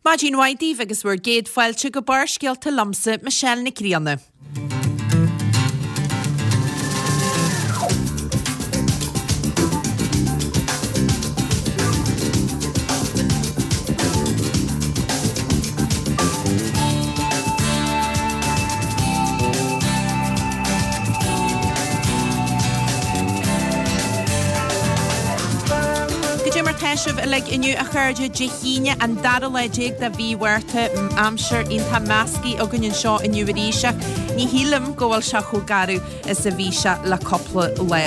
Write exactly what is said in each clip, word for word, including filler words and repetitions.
Maidin mhaith daoibh agus bhur gcéad fáilte go Barrscéalta liomsa, Michelle Nic Grianna. Goidé mar tá sibh uilig inniu a chairde Dé hAoine an dara lá déag de mhí Mhárta aimsir iontach measctha againn anseo inniu arís ach ní shílim go bhfuil sé chomh garbh is a bhí sé le cúpla lá.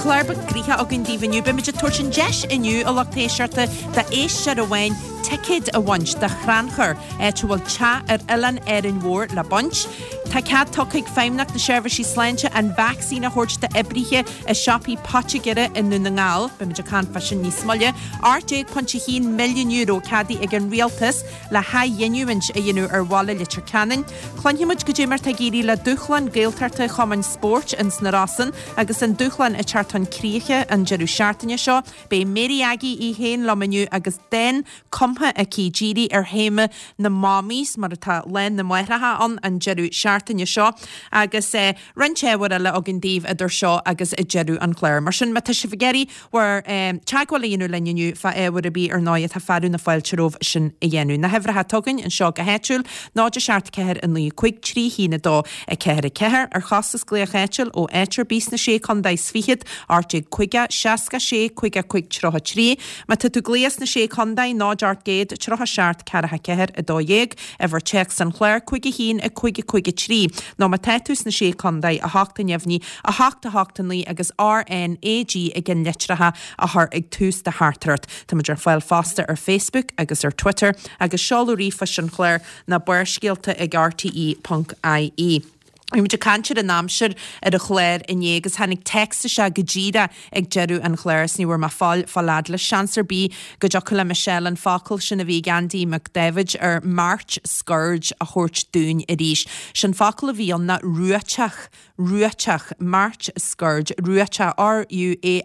Clár beag gnoitheach againn daoibh inniu, beimid ag tabhairt an deis inniu a lucht éisteachta d'éisteoir amháin ticéad a bhaint do chrannchur, áit a bhfuil teach ar oileán Árainn Mhór le baint. Tá cead tugtha ag Feidhmeannacht na Seirbhísí Sláinte an vacsaín a thabhairt d'oibrithe i siopaí poitigéara i nDún na nGall. Beimid ag caint fá sin níos moille. ocht déag ponc a haon milliún euro ceadaithe ag an Rialtas le hathghiniúint a dhéanamh ar bhaile Leitir Ceanainn. Cluinfidh muid goidé mar tá ag éirí le dúshlán Gaeltachta Chumann Spóirt ins na Rosann agus an dúshlán ag teacht chun críche an deireadh seachtaine seo. Beidh Mary Aggie í féin liom inniu agus dán cumtha aici dírithe ar théama na Mommies mar atá Lá na Máithreacha ann an deireadh seachtaine seo agus eh, roinnt ábhar eile againn daoibh idir seo agus deireadh an chláir. Mar sin má tá sibh ag iarraidh bhur eh, teagmháil a dhéanamh linn inniu fá ábhar ar bith ar ndóigh tá fearadh na fáilte romhaibh sin a dhéanamh. Na huimhreacha atá againn anseo go háitiúil, náid a seacht ceathair a naoi cúig trí haon a dó a ceathair a ceathair ar chostas glaoch áitiúil ó áit ar bith sna sé contae is fichead, ocht déag caoga, seasca sé, caoga cúig tríocha trí. Má tá tú ag glaoch sna sé contae, náid ocht gcéad, tríocha seacht, ceathracha ceathair, a dó dhéag, uimhir téacs an chláir, cúig a haon, a cúig a cúig a trí. Nó má tá tú sna sé contae, a hocht a neamhní, a hocht a hocht a naoi agus RNAG i gceannlitreacha a chur ag tús do theachtaireacht. Táimid ar fáil fosta ar Facebook agus ar Twitter agus seoladh ríomhphoist an chláir ná barrscéalta ag rte.ie. Bhí muid ag caint ar an aimsir ar an chlár inné agus tháinig téacs isteach go díreach ag deireadh an chláir is ní bhfuair mé fáil fáil fhad leis. Seans ar bith go dtiocfadh le Michelle an focal sin a bhí ag Andy McDavid ar March Scourge a thabhairt dúinn arís. Sin focal a bhí ann ná ruaiteach. Ruaiteach, March Scourge, ruaiteach, R-U-A-I-T-E-A-C-H,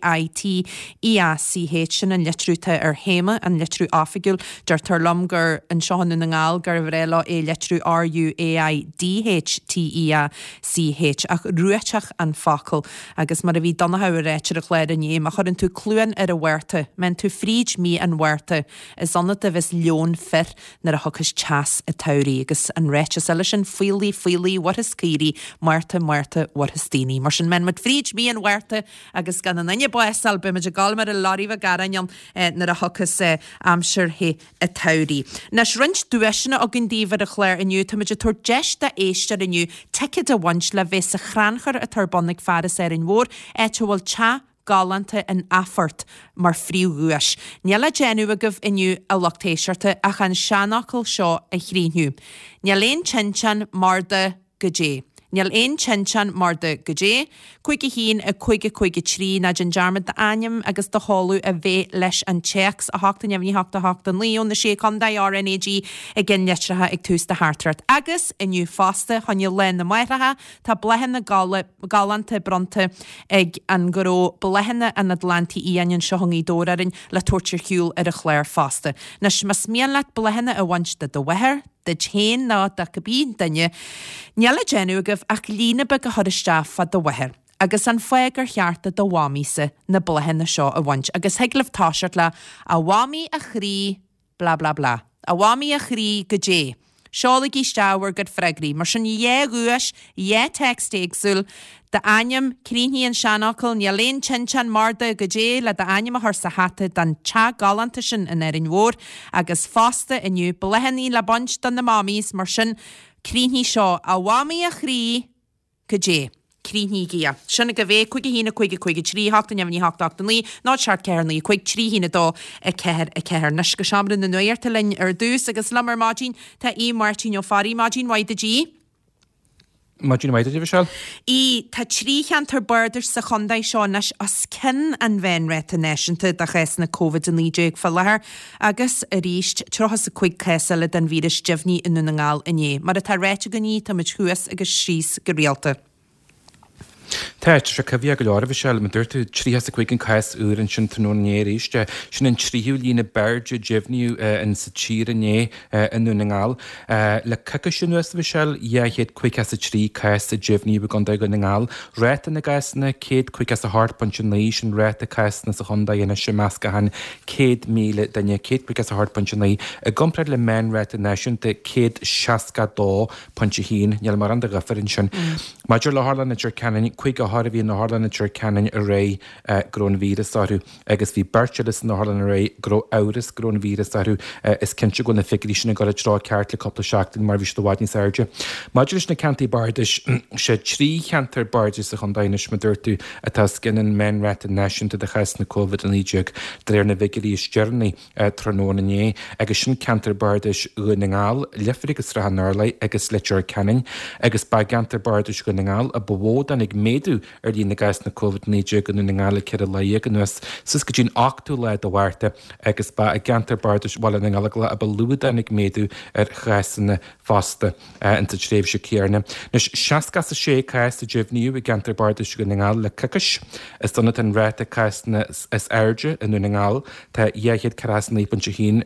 sin an litriú atá ar théama, an litriú oifigiúil. Deirtear liom gur anseo i nDún na nGall gur bhreá leo é litriú R-U-A-I-D-H-T-E-A-C-H, ach ruaiteach an focal. Agus mar a bhí Donncha ag ráit ar an chlár inné, má chuireann tú cluain ar an Mhárta, má théann tú fríd mí an Mhárta, is ionat a bheas leon fir nuair a thiocfas teas an tsamhraidh. Agus an ráiteas eile sin, faoiligh, faoiligh, mhairfeas caoirigh, Márta, Márta, mhairfeas daoine. Mar sin, má théann muid fríd mí an Mhárta agus gan aon duine básáil, beidh muid ag gabháil mar a lorry bheag aráin ann nuair a thiocfas aimsir the an tsamhraidh. Anois, roinnt duaiseanna againn daoibh ar an chlár inniu. Táimid ag tabhairt deis d'éisteoir inniu ticéad a bhaint le bheith sa chrannchur atá ar bun ag Fearas Árainn Mhór, áit a bhfuil teach galánta in Athphort mar phríomhdhuais. Níl le déanamh agaibh inniu, a lucht éisteachta, ach an seanfhocal seo a chríochnú. Níl aon tinteán mar do goidé. Níl aon tinteán mar do goidé. Cúig a haon, a cúig a cúig a trí, ná déan dearmad d'ainm agus do sheoladh a bheith leis an téacs, a hocht a neamhní hocht a hocht a naoi ó na Sé Chontae, RNAG i gceannlitreacha ag tús do theachtaireacht. Agus inniu fosta, choinne Lá na Máithreacha, tá bláthanna galánta bronnta ag an ngnó Bláthanna an Atlantaigh Fhiáin anseo i nGaoth Dobhair orainn le tabhairt ar shiúl ar an chlár fosta. Anois, más mian leat bláthanna a bhaint do do mháthair, duit féin nó do cibé duine, níl le déanamh agaibh ach líne beag a chur isteach fá do mháthair agus an fáth gur cheart do do mhamaíosa na bláthanna seo a bhaint agus thig libh toiseacht le 'A mhamaí a chroí blah blah blah. A mhamaí a chroí goidé. Seolaigí isteach bhur gcuid freagraí. Mar sin, dhá dhuais, dhá text éagsúil, d'ainm, críochnaigh an seanfhocal, níl aon tinteán mar do goidé le d'ainm a chur sa hata don teach galánta sin in Árainn Mhór, agus fosta inniu, bláthanna le baint do na mommies, mar sin, críochnaigh seo, a mhamaí a chroí, Goidé. Críochnaígí é. Sin agaibh é, cúig a haon, a cúig, a cúig, a trí, a hocht, a neamhní, a hocht, a hocht, a naoi, náid, seacht, ceathair, naoi, cúig, trí, haon, a dó, a ceathair, a ceathair. Anois go seomra na nuachta linn ar dtús agus liom ar maidin tá Aodh Máirtín Ó Fearraigh. Maidin mhaith duit a Aoidh. Maidin mhaith duit, a Mhichelle. Aoidh, tá trí cheantar bardais sa chontae seo anois os cionn an mheánráta náisiúnta de chásanna Covid a naoi déag fá láthair agus, arís, tríocha is a cúig cás eile den víreas deimhnithe i nDún na nGall inné. Mar atá ráite againn, táimid thuas agus síos go rialta. Tá sé coimhthíoch go leor, a Mhichelle, mar dúirt tú, tríocha is a cúig an cás úr ansin tráthnóna inné arís. Sin an tríú líon ab airde a deimhníodh in sa tír inné i nDún na nGall. Le coicís anuas, a Mhichelle, dhá chéad caoga is a trí cás a deimhníodh i gContae Dhún na nGall. Ráta na gcásanna, céad caoga is a hocht pointe naoi, sin ráta cásanna sa chontae anois i measc achan céad míle duine, céad caoga is a hocht pointe naoi, i gcomparáid le meánráta náisiúnta céad seasca dó pointe haon. Níl mórán de dhifear ansin. Maidir le hOtharlann Leitir Ceanainn, cúig othar a bhí in Otharlann Leitir Ceanainn aréir go raibh an víreas orthu agus bhí beirt eile san otharlann aréir go raibh amhras go raibh an víreas orthu. Is cinnte go bhfuil na figiúirí sin ag dul i dtreo ceart le cúpla seachtain mar bhí siad i bhfad níos airde. Maidir leis na ceantair bardais, sé trí cheantar bardais sa chontae anois, mar dúirt tú, atá os cionn an meánráta náisiúnta de chásanna Covid a naoi déag de réir na bhfigiúirí is deireanaí tráthnóna inné, agus sin ceantar bardais Dhún na nGall, Leifear agus Srath an Urláir agus Leitir Ceanainn, agus ba i gceantar bardais Dhún na nGall a ba mhó a tháinig méadú ar líon na gcásanna Covid a naoi déag i nDún na nGall le ceithre lá dhéag anuas, suas go dtí an ochtú lá de Mhárta, agus ba i gceantar bardais Bhaile na nGallóglach a ba lú a tháinig méadú ar chásanna fosta insa tréimhse chéanna. Anois, seasca is a sé cás a deimhníodh i gceantar bardais Dhún na nGall le coicís. Is ann atá an ráta cásanna is airde i nDún na nGall. Tá dhá chéad ceathracha is a naoi pointe a haon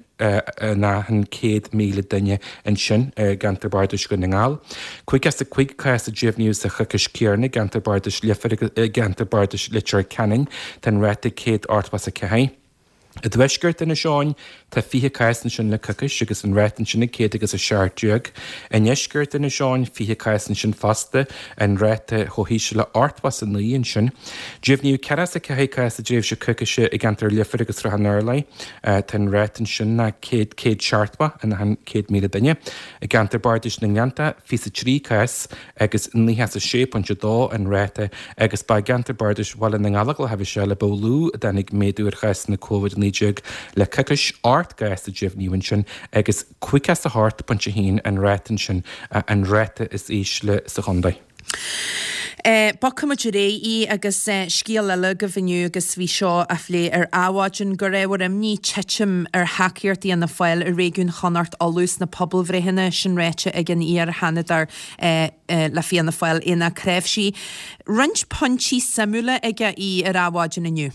in achan céad míle duine ansin i gceantar bardais Dhún na nGall. Caoga is a cúig cás a deimhníodh sa choicís chéanna i gceantar bardais Leifear agus i gceantar bardais Leitir Ceanainn. Tá an ráta céad ochtó is a ceathair. I dtuaisceart Inis Eoghain, tá fiche cás ansin le coicís agus an ráta ansin ag céad agus a seacht déag. I ndeisceart Inis Eoghain, fiche cás ansin fosta, an ráta chomh híseal le ochtó is a naoi ansin. Deimhníodh ceathracha is a ceathair cás i dtréimhse coicíse i gceantar Leifear agus Srath an Urláir. Tá an ráta ansin ná céad, céad seachtó in achan céad míle duine. I gceantar Bardais na nGleannta, fiche is a trí cás agus nócha is a sé pointe a dó an ráta agus ba i gceantar Bardais Bhaile na nGallóglach a bhí sé le ba lú a dtáinig méadú ar chásanna Covid a naoi déag le coicís, ocht gcás a deimhníodh ansin agus caoga is a hocht pointe a haon an ráta ansin, an ráta is ísle sa chontae. Bogfaimid ar aghaidh agus scéal eile agaibh inniu agus bhí seo á phlé ar Adhmhaidin gur ábhar imní titim ar thacaíocht Fhianna Fáil i réigiún Chonnacht Uladh sna pobalbhreitheanna, sin ráite ag an iar-Sheanadóir le Fianna Fáil, Aonach Creabhsí. Roinnt pointí suimiúla aige ar Adhmhaidin inniu.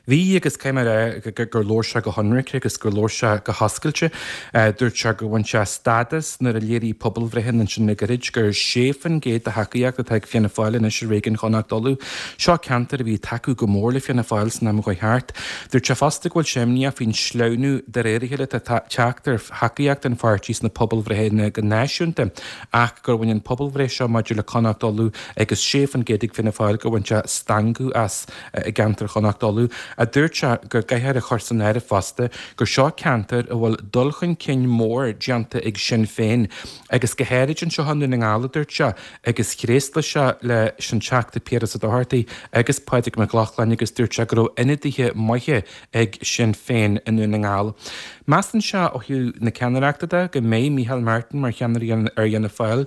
Bhí, agus caithfidh mé a rá gur labhair sé go hionraic agus gur labhair sé go hoscailte. Dúirt sé gur bhain sé stad as nuair a léirigh pobalbhreitheanna ansin le gairid gur sé faoin gcéad de thacaíocht atá ag Fianna Fáil anois i réigiún Chonnacht Uladh. Seo ceantar a bhí ag tacú go mór le Fianna Fáil san am a chuaigh thart. Dúirt sé fosta go bhfuil sé imníoch faoin sleamhnú de réir a chéile atá ag teacht ar thacaíocht an pháirtí sna pobalbhreitheanna go náisiúnta ach gur bhain an pobalbhreith seo maidir le Connacht Uladh agus sé faoin gcéad ag Fianna Fáil gur bhain sé stangadh as i gceantar Chonnacht Uladh. A dúirt sé go gcaithfear a chur san áireamh fosta gur seo ceantar a bhfuil dul chun cinn mór déanta ag Sinn Féin agus go háirid anseo i nDún na nGall, a dúirt sé, agus thréaslaigh sé leis an Teachta Piaras Ó Dochartaigh agus Pádraig Mac Lochlainn agus dúirt sé go raibh ionadaithe maithe ag Sinn Féin i nDún na nGall. Measann sé ó thaobh na ceannaireachta de go mbeidh Micheál Martin mar cheannaire ar Fhianna Fáil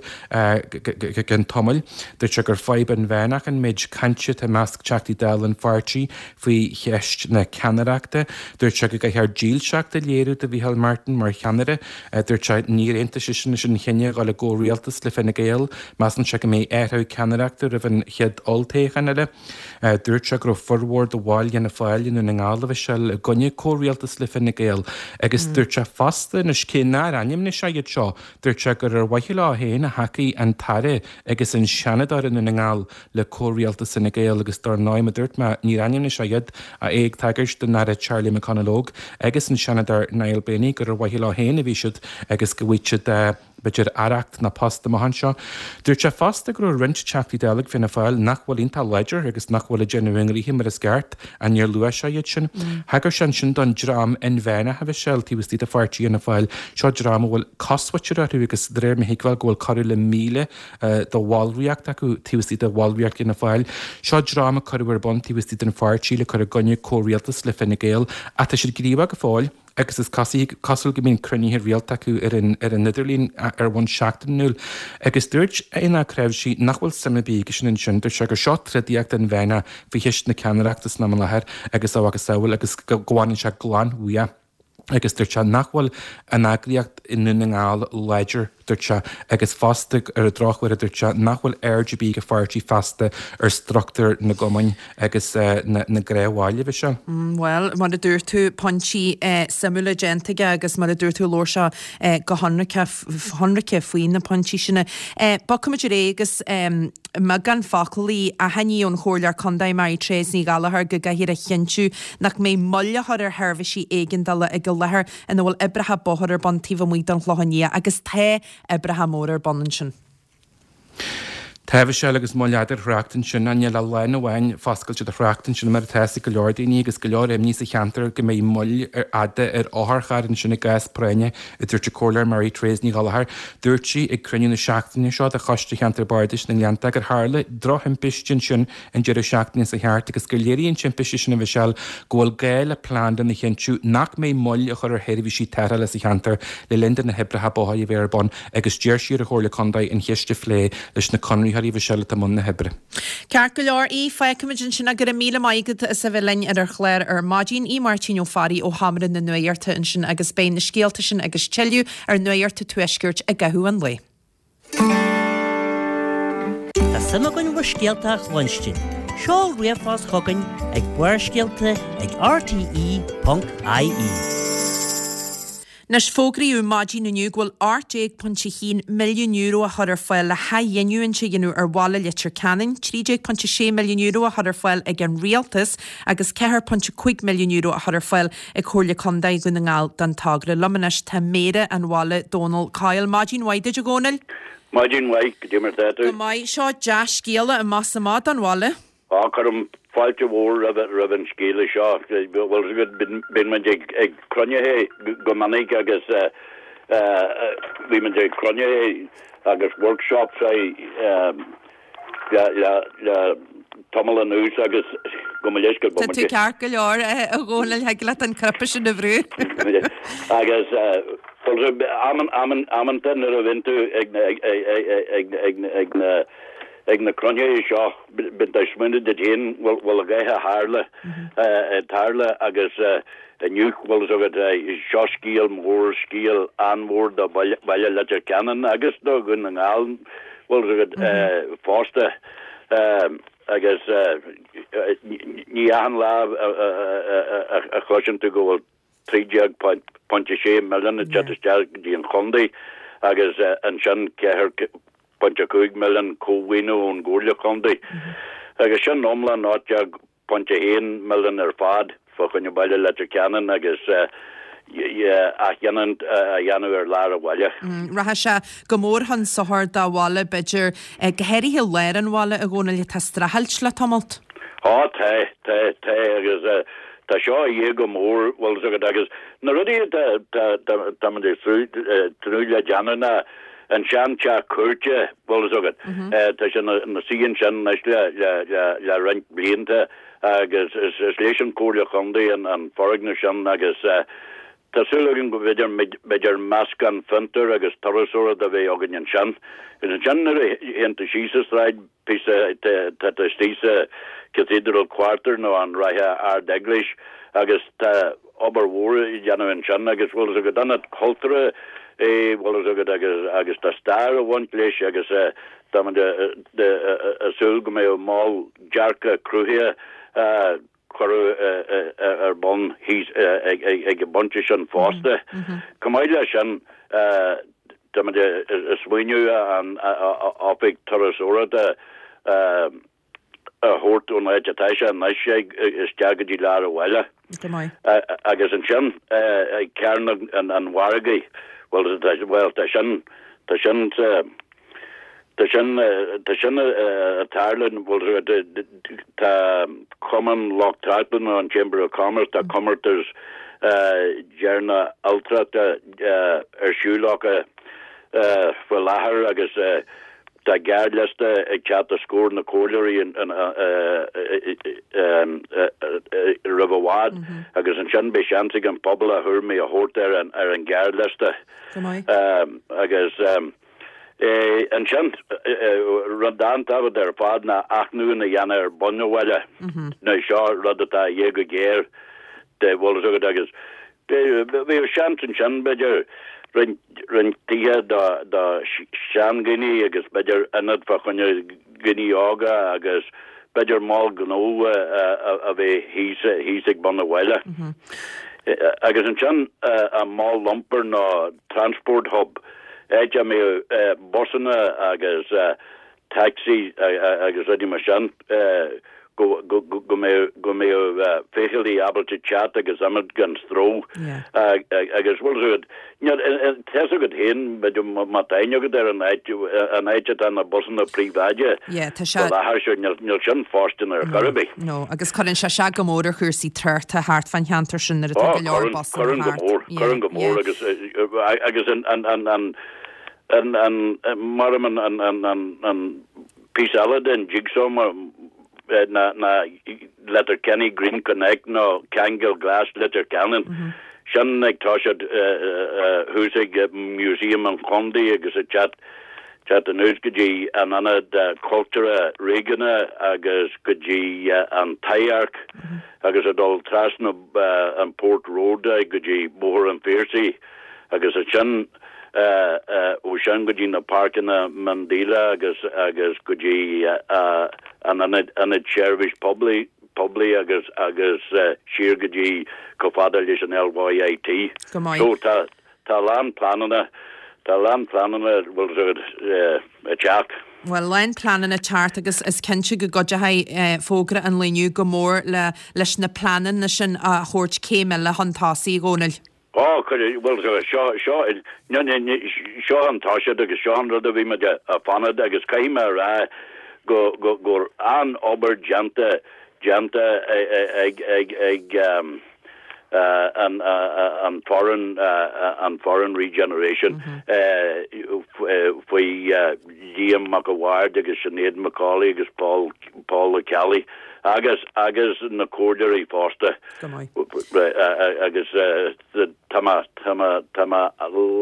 go ceann tamaill. Dúirt sé gur fadhb inmheánach an méid cainte atá i measc Teachtaí Dála an pháirtí faoi cheist na ceannaireachta. Dúirt sé go gcaithfear dílseacht a léiriú do Mhicheál Martin mar cheannaire. Dúirt sé níor aontaigh seisean leis an chinneadh a dhul i gcomhrialtas le Fine Gael. Measann sé go mbeidh athrú ceannaireachta roimh an chéad olltoghchán eile. Dúirt sé go raibh formhór de bhaill Fhianna Fáil i nDún na nGall a Mhichelle i gcoinne comhrialtas le Fine Gael agus dúirt sé fosta anois cé nár ainmnigh sé iad seo, dúirt sé gur ar mhaithe leo féin a thacaigh an tAire agus an Seanadóir i nDún na nGall le comhrialtas Fhine Gael agus dar ndóigh mar a dúirt mé níor ainmnigh sé iad ach é ag tagairt don Aire Charlie McConalogue agus an Seanadóir Niall Blaney gur ar mhaithe leo féin a bhí siad agus go bhfaighidh siad b'fhéidir aireacht nó post amach anseo. Dúirt sé fosta go raibh roinnt Teachtaí Dála ag Fianna Fáil nach bhfuil iontach láidir agus nach bhfuil ag déanamh a ngnoithe mar is ceart, ach níor luaigh sé iad sin. Thagair sé ansin don dream inmheánach a Mhichelle taobh istigh de pháirtí Fhianna Fáil. Seo dream a bhfuil cosmhuintir orthu agus de réir mo thuigbheáil go bhfuil corradh le míle de bhallraíocht acu taobh istigh de bhallraíocht Fhianna Fáil. Seo dream a cuireadh ar bun taobh istigh den pháirtí le cur i gcoinne comhrialtas le Fine Gael ach tá siad gníomhach go fóill. agus is cosúil go mbíonn cruinnithe rialta acu ar an ar an idirlíon ar bhonn seachtainiúil. Agus dúirt Aonach Creabhsí nach bhfuil suim ar bith aigesean ansin, dúirt sé gur seo trodaíocht inmheánach faoi cheist na ceannaireachta san am i láthair agus a mhacasamhail agus go bhfanann sé glan uaidh. Agus dúirt sé nach bhfuil an eagraíocht i nDún na nGall láidir dúirt sé, agus fosta ar an drochuair a dúirt sé nach bhfuil aird ar bith ag a pháirtí feasta ar struchtúr na gcumann agus na gnáthbhaile, a Mhichelle. Bhuel, mar a dúirt tú, pointí suimiúla déanta aige agus mar a dúirt tú labhair sé go hionraice faoi na pointí sin. Bogfaimid ar aghaidh agus i mbeagán focal achainí ón Chomhairleoir Contae Mary Therese Ní Ghallchóir go gcaithfear a chinntiú nach mbeidh moill á chur ar sheirbhísí éigeandála ag an láthair ina bhfuil oibreacha bóthair ar bun taobh amuigh den Chlochán Liath agus tá oibreacha móra ar bun ansin. Tá a Mhichelle agus moill fhada ar thrácht ansin, níl ach lán amháin foscailte do thrácht ansin mar atá ag go leor daoine agus go leor imní sa cheantar go mbeidh moill fhada ar otharchairr ansin i gcás práinne, a dúirt an Comhairleoir Mary Therese Ní Ghallchóir. Dúirt sí ag cruinniú na seachtaine seo de Choiste Cheantar Bardais na nGleannta gur tharla drochthimpiste ansin an deireadh seachtaine seo thart agus gur léirigh an timpiste sin a Mhichelle go bhfuil gá le plean lena chinntiú nach mbeidh moill á chur ar sheirbhísí tarrthála sa cheantar le linn do na hoibreacha bóthair a bheith ar bun agus d'iarr sí ar an Chomhairle Contae an cheist a phlé leis na conraitheoirí a Mhichelle atá i mbun na hoibre. Ceart go leor, Aodh, fágfaimid ansin é. Go raibh míle maith agat as a bheith linn ar an chlár ar maidin. Aodh Máirtín Ó Fearraigh ó Sheomra na Nuachta ansin agus beidh na scéalta sin agus tuilleadh ar Nuacht an Tuaiscirt i gcaitheamh an lae. Tá suim againn bhur scéalta a chluinstin. Seol ríomhphost chugainn ag barrscéalta ag rte ponc ie. Anois, fógraíodh maidin inniu go bhfuil ocht déag pointe a haon milliún euro á chur ar fáil le hathghiniúint a dhéanamh ar bhaile Leitir Ceanainn, trí déag pointe sé milliún euro á chur ar fáil ag an Rialtas agus ceathair pointe cúig milliún euro á chur ar fáil ag Comhairle Contae Dhún na nGall don togra. Liom anois tá Méara an bhaile, Dónal Coyle. Maidin mhaith duit, a Dhónaill. Maidin mhaith, goidé mar atá tú? Go maith. Seo dea-scéala amach is amach don bhaile. Á, cuirim fáilte mhór roimh an scéala seo. Bhuel, bíonn muid ag cruinnithe go minic agus bhí muid ag cruinnithe agus workshops le tamall anuas agus go mba leis go Tá tú ceart go leor, a Dhónaill, thig leat an cnaipe sin a bhrú. Agus amanta nuair a bhíonn tú ag na Ag na cruinnithe seo, bíonn tú ag smaoineamh duit féin, bhfuil a dhath a tharla, ag tarlú agus inniu, bhfuil fhios agat, seo scéal mór, scéal an-mhór do bhaile Leitir Ceanainn agus do Dhún na nGall, bhfuil fhios agat, fosta. Agus ní achan lá a chloiseann tú go bhfuil trí déag pointe sé milliún ag teacht isteach go dtí an chontae agus ansin ceathair pointe cúig milliún cómhaoiniú ón gComhairle Contae agus sin iomlán ocht déag pointe haon milliún ar fad fá choinne baile Leitir Ceanainn agus athghiniúint a dhéanamh ar lár an bhaile. Rachaidh sé go mór chun sochair do bhaile, b'fhéidir, go háirithe lár an bhaile, a Dhónaill, atá ag streachailt le tamalt. Á, tá, tá, tá agus tá seo a dhíth go mór, bhfuil fhios agat, agus na rudaí atá, tá, tá muid ag tnúth le déanamh ná an sean-teach cúirte, bhfuil fhios agat, tá sé ina suí ansin anois le, le, le, le roinnt blianta agus is, is leis an Chomhairle Chontae an, an foirgneamh sin agus tá súil againn go bhféidir, b'fhéidir meascán fiontar agus turasóireachta a bheith againn ansin. Agus ansin nuair a théann tú síos an tsráid, píosa, tá tú istigh sa Cathedral Quarter nó an Ráithe Ard-Eaglais agus tá obair mhór á dhéanamh ansin agus bhfuil fhios agat ionad cultúrtha é, bhfuil fhios agat agus agus tá stair ag baint leis agus tá muid ag súil go mbeidh mol dearcadh cruthaithe a cuireadh ar bun thíos ag an bpointe sin fosta. Chomh maith leis sin, tá muid ag smaoineamh an oifig turasóireachta a thabhairt ón áit atá sé anois isteach go dtí lár an bhaile. Agus ansin ag Cearnóg an Mhargaidh, bhuel tá sin, tá sin sa, tá sin, tá sin ag tarlú, bhuel tá Cumann Lucht Tráchtála nó an Chamber of Commerce, tá comórtas deireanach ailtireachta ar siúl acu faoi láthair agus tá gearrliosta ag teacht os comhair na comhairleoirí roimh i bhfad agus ansin beidh seans ag an phobal a thuairimí a thabhairt ar an ghearrliosta. Agus ansin, rud an-tábhachtach ar fad ná athnuachan a dhéanamh ar bun an bhaile. Now seo rud atá a dhíth go géar, bhfuil fhios agat, agus bheadh seans ansin, b'fhéidir, roinnt roinnt tithe do do sheandhaoine agus b'fhéidir ionad fá choinne daoine óga agus b'fhéidir mol gnó a bheith thíos thíos ag bun an bhaile. Agus ansin an mol iompair nó transport hub, áit a mbeadh busanna agus taxi agus rudaí mar sin go go go mbeadh go mbeadh feithiclí ábalta teacht agus imeacht gan stró agus bhfuil a fhios agat tá a fhios agat féin b'fhéidir má tá aithne agat ar an áit an áit atá na busanna príobháideacha Yeah, tá sé faoi láthair seo níl níl sin fóirsteanach ar chor ar bith. No, agus cuireann sé sé go mór ar chúrsaí tráchta thart fán cheantar sin nuair atá go leor busanna Cuireann go thart. mór, Yeah, cuireann go mór yeah. agus agus an an an an an an mar an an an an an píosa eile den jigsaw mar na na Letterkenny Green Connect nó Ceangal Glas Leitir Ceanainn. Sin ag toiseacht thuas ag Museum an Chontae agus ag teacht teacht anuas go dtí an ionad cultúrtha réigiúnach agus go dtí an Taibhdhearc agus ag dul trasna an Port Road go dtí Bóthar an Phiarsaigh agus sin ó sin go dtí na páirceanna miondíola agus agus go dtí an ionad ionad seirbhís poiblí poiblí agus agus siar go dtí chomh fada leis an LYIT. Go maith. So tá tá lán pleananna tá lán pleananna bhfuil ag teacht. Well lán pleananna teacht agus is cinnte go gcuideoidh fógra an lae inniu go mór le leis na pleananna sin a thabhairt céim eile chun tosaigh a Dhónaill. Ó bhfuil seo seo seo an toiseacht agus seo an rud a bhí muid ag fanacht agus caithfidh mé a rá go go gur an-obair déanta déanta ag ag ag an an foreign an foreign regeneration faoi Liam Mac a' Bhaird agus Sinéad McCauley agus Paul Paul Kelly agus agus na comhairleoirí fosta agus tá mé tá mé tá mé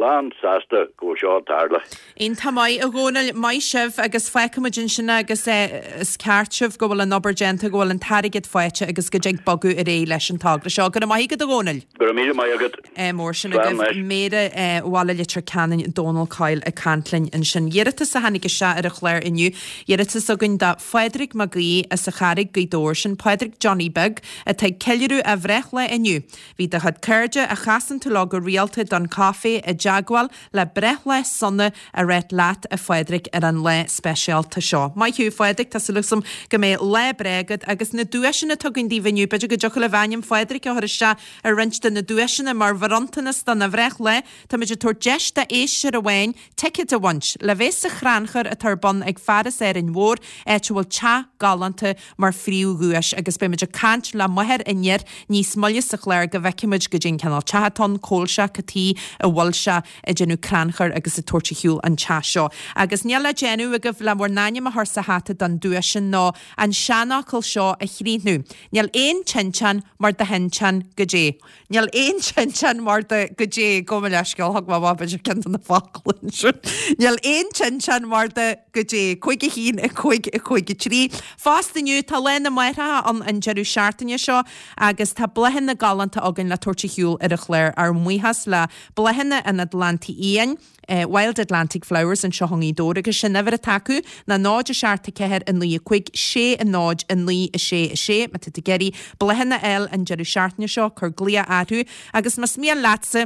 lán sásta go seo tarla. Iontach maith a Dhónaill maith sibh agus feicfimid ansin agus is ceart sibh go bhfuil an obair déanta go bhfuil an t-airgead faighte agus go dtig bogadh ar aghaidh leis an togra seo. Go maith go do Dhónaill. Go míle maith agat. Mór sin agaibh Méara Bhaile Leitir Ceanainn Dónal Coyle ag caint linn ansin. Iarratas a tháinig isteach ar an chlár inniu, iarratas againn do Phádraig Mac Aoidh as an Charraig Gaoth Dobhair sin Pádraig Johnny Beag atá ag ceiliúradh a bhreithlá inniu. Bhí do chuid cairde a chasann tú leo go rialta don caife i dteagmháil le breithlá sona a rá leat a Phádraig ar an lá speisialta seo. Maith thú Phádraig tá súil agam go mbeidh lá breá agat agus na duaiseanna atá againn daoibh inniu b'fhéidir go dtiocfadh libh ainm Phádraig a chur isteach ar roinnt de na duaiseanna mar bhronntanas dona bhreithlá Táimid ag tabhairt deis d'éisteoir amháin ticéad a bhaint le bheith sa chrannchur atá ar bun ag Fearas Árainn Mhór áit a bhfuil teach galánta mar phríomhdhuais agus beimid ag caint le máthair an fhir níos moille sa chlár go bhfeicfimid goidé an cineál teach atá ann cá bhfuil sé cad chuige a bhfuil sé ag déanamh crannchur agus ag tabhairt ar shiúl an teach seo. Agus níl le déanamh agaibh le bhur n-ainm a chur sa hata don duais sin ná an seanfhocal seo a chríochnú. Níl aon tinteán mar do thinteán goidé. Níl aon tinteán mar do goidé go leisceil thug má beidir cin na fáclin sin. Níl aon tinteán mar do goidé cúig a haon a cúig a cúig a trí. Fosta inniu tá Lá na Máithreacha an an deireadh seachtaine seo agus tá bláthanna galánta againn le tabhairt ar shiúl ar an chlár ár mbuíochas le Bláthanna an Atlantaigh Fhiáin. Uh, Wild Atlantic Flowers anseo i nGaoth Dobhair agus sin uimhir atá acu ná náid a seacht a ceathair a naoi a cúig sé a náid a naoi a sé a sé má tá tú ag iarraidh bláthanna a fháil an deireadh seachtaine seo cuir glaoch orthu agus más mian leatsa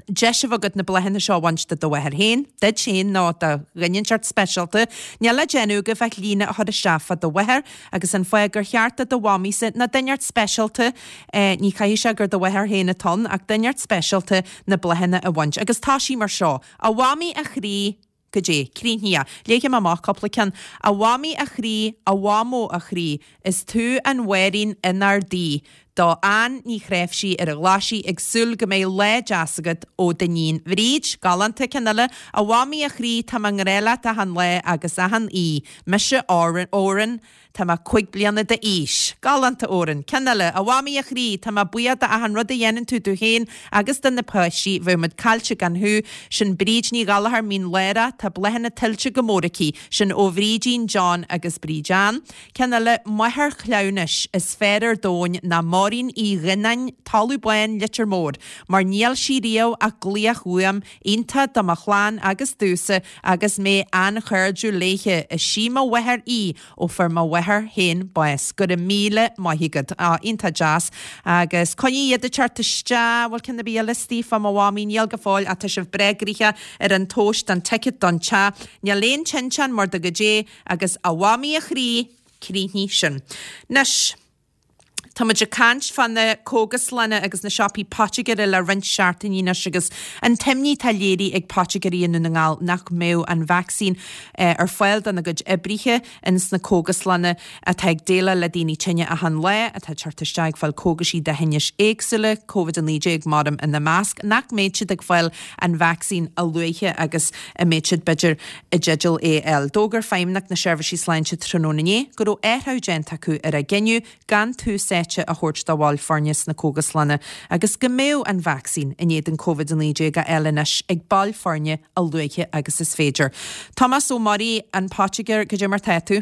deis a bheith agat na bláthanna seo a bhaint do do mháthair féin, duit féin nó do dhuine inteacht speisialta, níl le déanamh agaibh ach líne a chur isteach fá do mháthair agus an fáth gur cheart do do mhamaísa nó duine inteacht speisialta eh, ní chaithfidh sé gur do mháthair féin atá ann ach duine inteacht speisialta na bláthanna a bhaint. Agus tá sí mar seo, a mhamaí a chroí goidé, críochnaithe, léifidh mé amach cúpla ceann, a mhamaí a chroí, a mhamó a chroí, is tú an mhéirín inár dtí. Do Ann Ní Chréimhsí ar an Ghlaisigh ag súil go mbeidh lá deas agat ó d'iníon Bhríd, galánta ceann eile, a mhamaí a chroí tá mé i ngrá leat achan lá agus achan oíche, mise Óran, Tá mé cúig bliana d'aois. Galánta Óran, ceann eile, a mhamaí a chroí, tá mé buíoch d'achan rud a dhéanann tú domh féin agus do na páistí, bheadh muid caillte gan thú, sin Bríd Ní Ghallchóir Mín Lárach, tá bláthanna tuillte go mór aici, sin ó Bhrídín John agus Bríd Ann. Ceann eile, máthair chleamhnais, is fearr ar domhan ná Máirín Uí Ghionnáin, Talamh Bán, Leitir Móir, mar níl sí riamh ach glaoch uaim, iontach do mo chlann agus domhsa agus mé an-chairdiúil léithe. Is sí mo mháthair í ó fuair mo mháthair féin bás. Go raibh míle maith agat. Á, iontach deas. Agus coinnigh iad ag teacht isteach, bhfuil ceann ar bith eile istigh fá mo mhamaí? Níl go fóill ach tá sibh breá gnoitheach ar an tomhas don ticket don teach. Níl aon tinteán mar do goidé agus a mhamaí a chroí, críochnaigh sin. Anois. Tá muid ag caint fá na cógaslanna agus na siopaí poitigéara le roinnt seachtainí anois agus an t-imní atá léirithe ag poitigéirí i nDún na nGall nach mbeadh an vacsaín ar fáil dona gcuid oibrithe ins na cógaslanna atá ag déileáil le daoine tinne achan lá, atá ag teacht isteach ag fáil cógaisí do thinnis éagsúla, Covid a naoi déag maram ina measc, nach mbeidh siad ag fáil an vacsaín a luaithe agus a mbeidh siad b'fhéidir i dteideal é a fháil. D'fhógair Feidhmeannacht na Seirbhísí Sláinte tráthnóna inné go raibh athrú déanta acu ar a gcinneadh gan tús áite a thabhairt do bhaill foirne sna cógaslanna agus go mbeadh an vacsaín in éadan Covid a naoi déag á fháil anois ag baill foirne a luaithe agus is féidir. Tomás Ó Muirí, an poitigéir, cad é mar tá tú?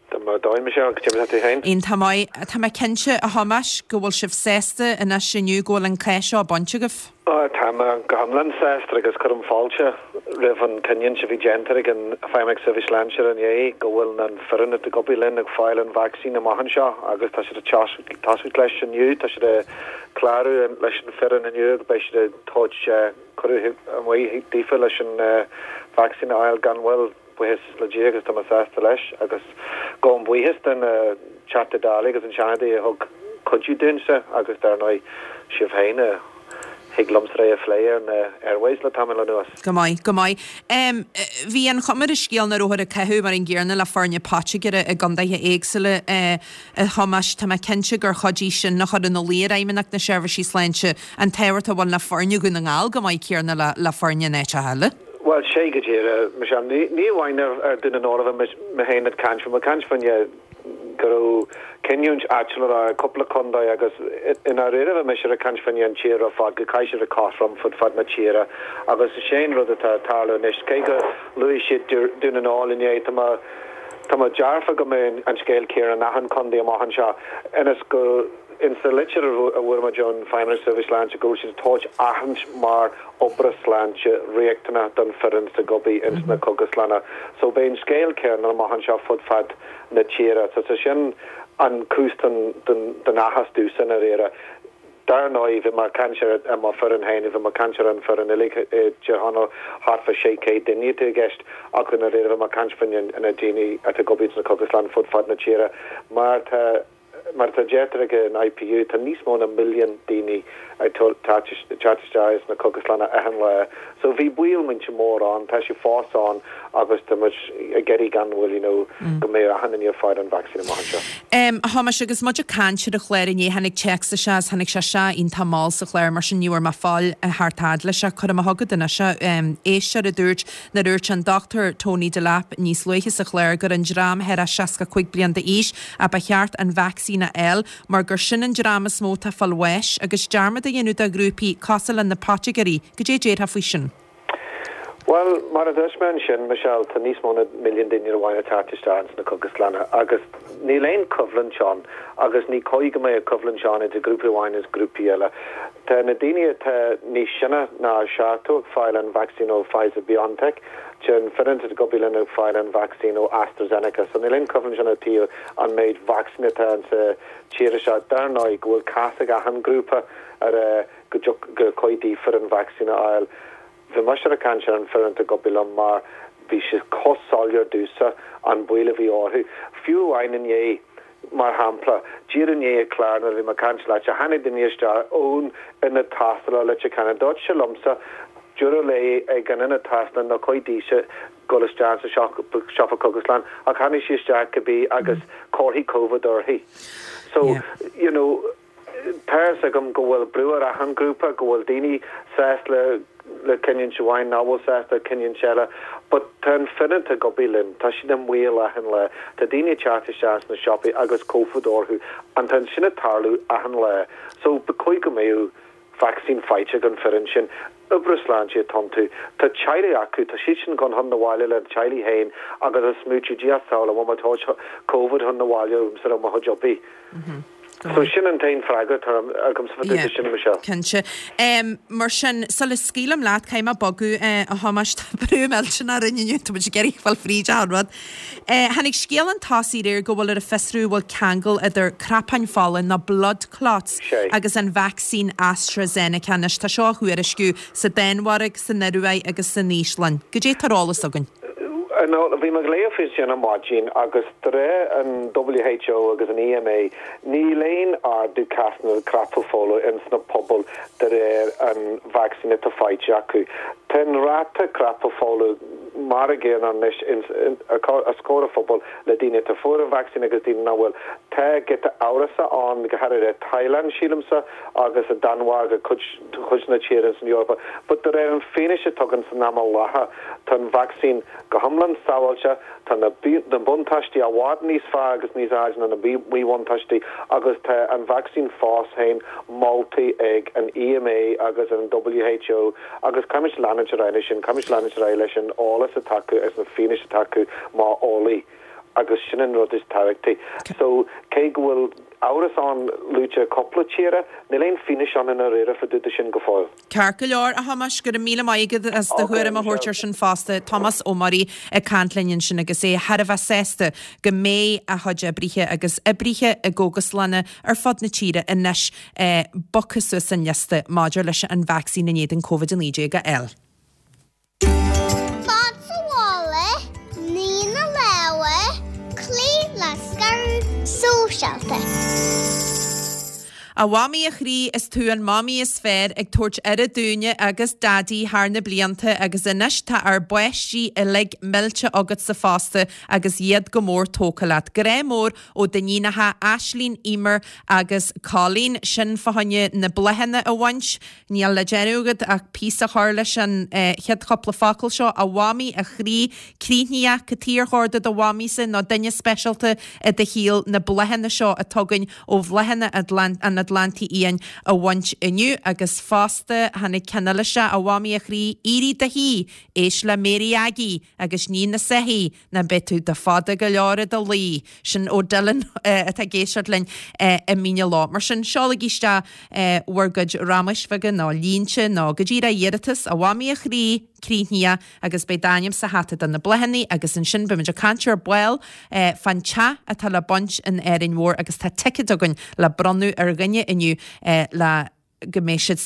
Tá mé dóigh, Michelle, cad é mar tá tú féin? Iontach maith. Tá mé cinnte, a Thomáis, go bhfuil sibh sásta anois inniu go bhfuil an cath seo bainte agaibh. Tá mé go hiomlán sásta agus cuirim fáilte roimh an cinniúint a bhí déanta ag an Feidhmeannacht Seirbhís Sláinte inné go bhfuil an foireann atá ag obair linn ag fáil an vacsaín amach anseo agus tá siad ag tosacht leis inniu, tá siad ag clárú leis an foireann inniu agus beidh siad ag tabhairt cuireadh amuigh daofa leis an vacsaín a fháil gan mhoill. Buíochas le Dia agus tá mé sásta leis agus gabhaim buíochas den Teachta Dála agus an Seanadóir a thug cuidiú dúinnse agus dar ndóigh sibh féin a thig liomsa é a phlé ar na airwaves le tamall anuas. Go maith, go maith. Bhí an chuma ar an scéal nach rabhthar ag caitheamh mar an gcéanna le foirne poitigéara i gcondaetha éagsúla, a Thomáis. Tá mé cinnte gur chuidigh sin a chur ina luí ar Fheidhmeannacht na Seirbhísí Sláinte an tábhacht a bhfuil le foirne Dhún na nGall go maith céanna le le foirne in áiteacha eile. Bhuel, sé go díreach, Michelle. Ní ní amháin ar Dún na nGall a bhí mé féin ag caint, bhí mé ag caint faoin go raibh cinniúint áitiúil ar cúpla contae agus i ndáiríre bhí mise ag caint faoin an tír ar fad, go gcaithfidh siad a bheith cothrom fud fad na tíre agus is é an rud atá ag tarlú anois, cé go luaigh siad Dún na nGall inné, tá mé tá mé dearfa go mbeidh an scéal céanna in achan contae amach anseo ionas go in sa litir a fuair muid ón Feidhmeannacht Seirbhís Sláinte go bhfuil siad ag tabhairt aithint mar oibrithe sláinte riachtanach don foireann atá ag obair ins na cógaslanna. So beidh an scéal céanna amach anseo fud fad na tíre. So so sin an cúis don don don áthas domhsa i ndáiríre. Dar ndóigh bhí mé ag caint ar mo foireann féin, bhí mé ag caint ar an foireann uilig i dTír Chonaill, thart fá sé chéad duine atá i gceist ach i ndáiríre bhí mé ag caint faoi na daoine atá ag obair ins na cógaslanna fud fad na tíre mar tá Mar atá deirtear ag an I P U, tá níos mó ná milliún daoine ag teacht isteach sna cógaslanna achan lá. So bhí baol millteach mór ann, tá sé fós ann agus tá muid ag iarraidh gan mhoill, you know, go mbeidh achan duine ag fáil an vacsaín amach anseo. A Thomáis, agus muid ag caint ar an chlár inné, tháinig téacs isteach is tháinig sé isteach iontach mall sa chlár, mar sin ní bhfuair mé fáil thart fhad leis ach cuirfidh mé chugat anois é. Éisteoir a dúirt nuair a dúirt an Dochtúir Tony Delap níos luaithe sa chlár gur an dream thar a seasca cúig bliain d'aois a ba cheart an vacsaín a fháil mar gur sin an dream is mó atá ag fáil bháis agus dearmad a dhéanamh de ghrúpaí cosúil le na poitigéirí. Goidé a déarfá faoi sin? Bhuel, mar a dúirt mé ansin, Michelle, tá níos mó ná milliún duine amháin ag teacht isteach ins na cógaslanna agus níl aon choimhlint ann agus ní cóir go mbeadh coimhlint ann idir grúpa amháin is grúpaí eile. Tá na daoine atá níos sine ná seachtó ag fáil an vacsaín ó Pfizer BioNTech, Tá an foireann atá ag obair linn ag fáil an vacsaín ó AstraZeneca so níl aon choimhlint ann ó thaobh an méid vacsaín atá insa tír seo. Dar ndóigh go bhfuil cás ag achan grúpa ar go gur cóir daofa an vacsaín a fháil. Bhí mise ag caint ar an foireann atá ag obair liom mar bhí sé chomh soiléir domhsa an baol a bhí orthu. Fiú amháin inné, Mar shampla, díreach i ndiaidh an chlár nuair a bhí mé ag caint leatsa, tháinig duine isteach ón ionad tástála i Leitir Ceanainn. Dúirt sé liomsa, dúradh léi ag an ionad tástála nár chóir dise dul isteach sa siopa cógaslann ach tháinig sí isteach cibé agus comharthaí Covid uirthi. So, you know, tá a fhios agam go bhfuil brú ar achan grúpa, go bhfuil daoine sásta le le cinniúint amháin, nach bhfuil sásta le cinniúint eile, but tá an foireann atá ag obair linn, tá siad i mbaol achan lá, tá daoine ag teacht isteach sna siopaí agus Covid orthu, and tá sin ag tarlú achan lá. So ba chóir go mbeadh vacsaín faighte ag an foireann sin. Oibrithe sláinte atá iontu. Tá teaghlaigh acu, tá siad sin gone chun na bhaile lena teaghlaigh féin agus ag smaoitiú, Dia sábháil, an bhfuil mé ag tabhairt Covid chun na bhaile liomsa ar mo chuid oibre? So sin an t-aon freagra atá agamsa fá dtaobh de sin, Michelle. Cinnte. Mar sin, sula scaoilim leat, caithfidh mé bogadh, a Thomáis, tá brú millteanach orainn inniu, tá muid ag iarraidh fáil fríd achan rud. Tháinig scéal chun tosaigh aréir go bhfuil ar fiosrú an bhfuil ceangal idir cnapáin fola nó blood clots agus an vacsaín AstraZeneca. Anois, tá seo á thuairisciú sa Danmhairg, san Ioruaidh agus san Íoslainn. Goidé tá ar eolas againn? No, bhí mé ag léamh faoi sin ar maidin agus de réir an WHO agus an EMA níl aon ardú cásanna crapadh fola ins na pobail de réir an vacsaín atá faighte acu. Tá an ráta crapadh fola mar a gcéanna anois os comhair an phobail le daoine atá fuair an vacsaín agus daoine nach bhfuil. Tá giota amhrasa ann go háirithe i Thailand sílimse agus i Danmhairg cuid de na tíortha san Eorpa but de réir an fianaise atá againn san am i láthair tá an vacsaín go hiomlán sábháilte, tá na na buntáistí i bhfad níos fearr agus níos airde ná na míbhuntáistí agus tá an vacsaín fós féin molta ag an EMA agus an WHO agus caithfimid leanúint ar aghaidh leis sin, caithfimid leanúint ar aghaidh leis an eolas atá acu agus na fianaise atá acu mar eolaí agus sin an rud is tábhachtaí. So cé go bhfuil amhras ann luaite cúpla tíre, níl aon fianaise ann i ndáiríre fá dtaobh de sin go fóill. Ceart go leor, a Thomáis, go raibh míle maith agat as do thuairim a thabhairt ar sin fosta. Tomás Ó Muirí ag caint linn ansin agus é thar a bheith sásta go mbeidh a chuid oibrithe agus oibrithe i gcógaslanna ar fud na tíre anois bogtha suas an liosta maidir leis an vacsaín in éadan Covid a naoi déag a fháil. Fad sa mhála, nigh na lámha, cloígh le scaradh sóisialta. A Mhamaí a chroí, is tú an mamaí is fearr ag tabhairt aire dúinne agus Daidí thar na blianta agus anois tá ár bpáistí uilig millte agatsa fosta agus iad go mór tógtha leat. Grá mór ó d'iníonacha Aislín, Emer agus Colleen. Sin fá choinne na bláthanna a bhaint. Níl le déanamh agat ach píosa a chur leis an chéad chúpla focal seo, A Mhamaí, a chroí, críochnaítheach, cad chuige ar chóir do do mhamaísa nó duine speisialta i do shaol na bláthanna seo atá againn ó Bhláthanna an Atlantaigh Fhiáin a bhaint inniu agus fosta tháinig ceann eile isteach, A Mhamaí, a chroí, éirigh i do shuí, éist le Mary Aggie agus nigh na soithí nó beidh tú do fada go leor i do luí. Sin ó Dylan atá ag éisteacht linn i Mín an Ló. Mar sin, seolaigí isteach bhur gcuid ramais bheaga nó línte nó go díreach iarratas, a Mhamaí a chroí, críochnaítheach agus beidh d'ainm sa hata do na bláthanna agus ansin beimid ag caint ar ball fán teach atá le baint in Árainn Mhór agus tá ticéad againn le bronnadh ar dhuine inniu le go mbeidh siad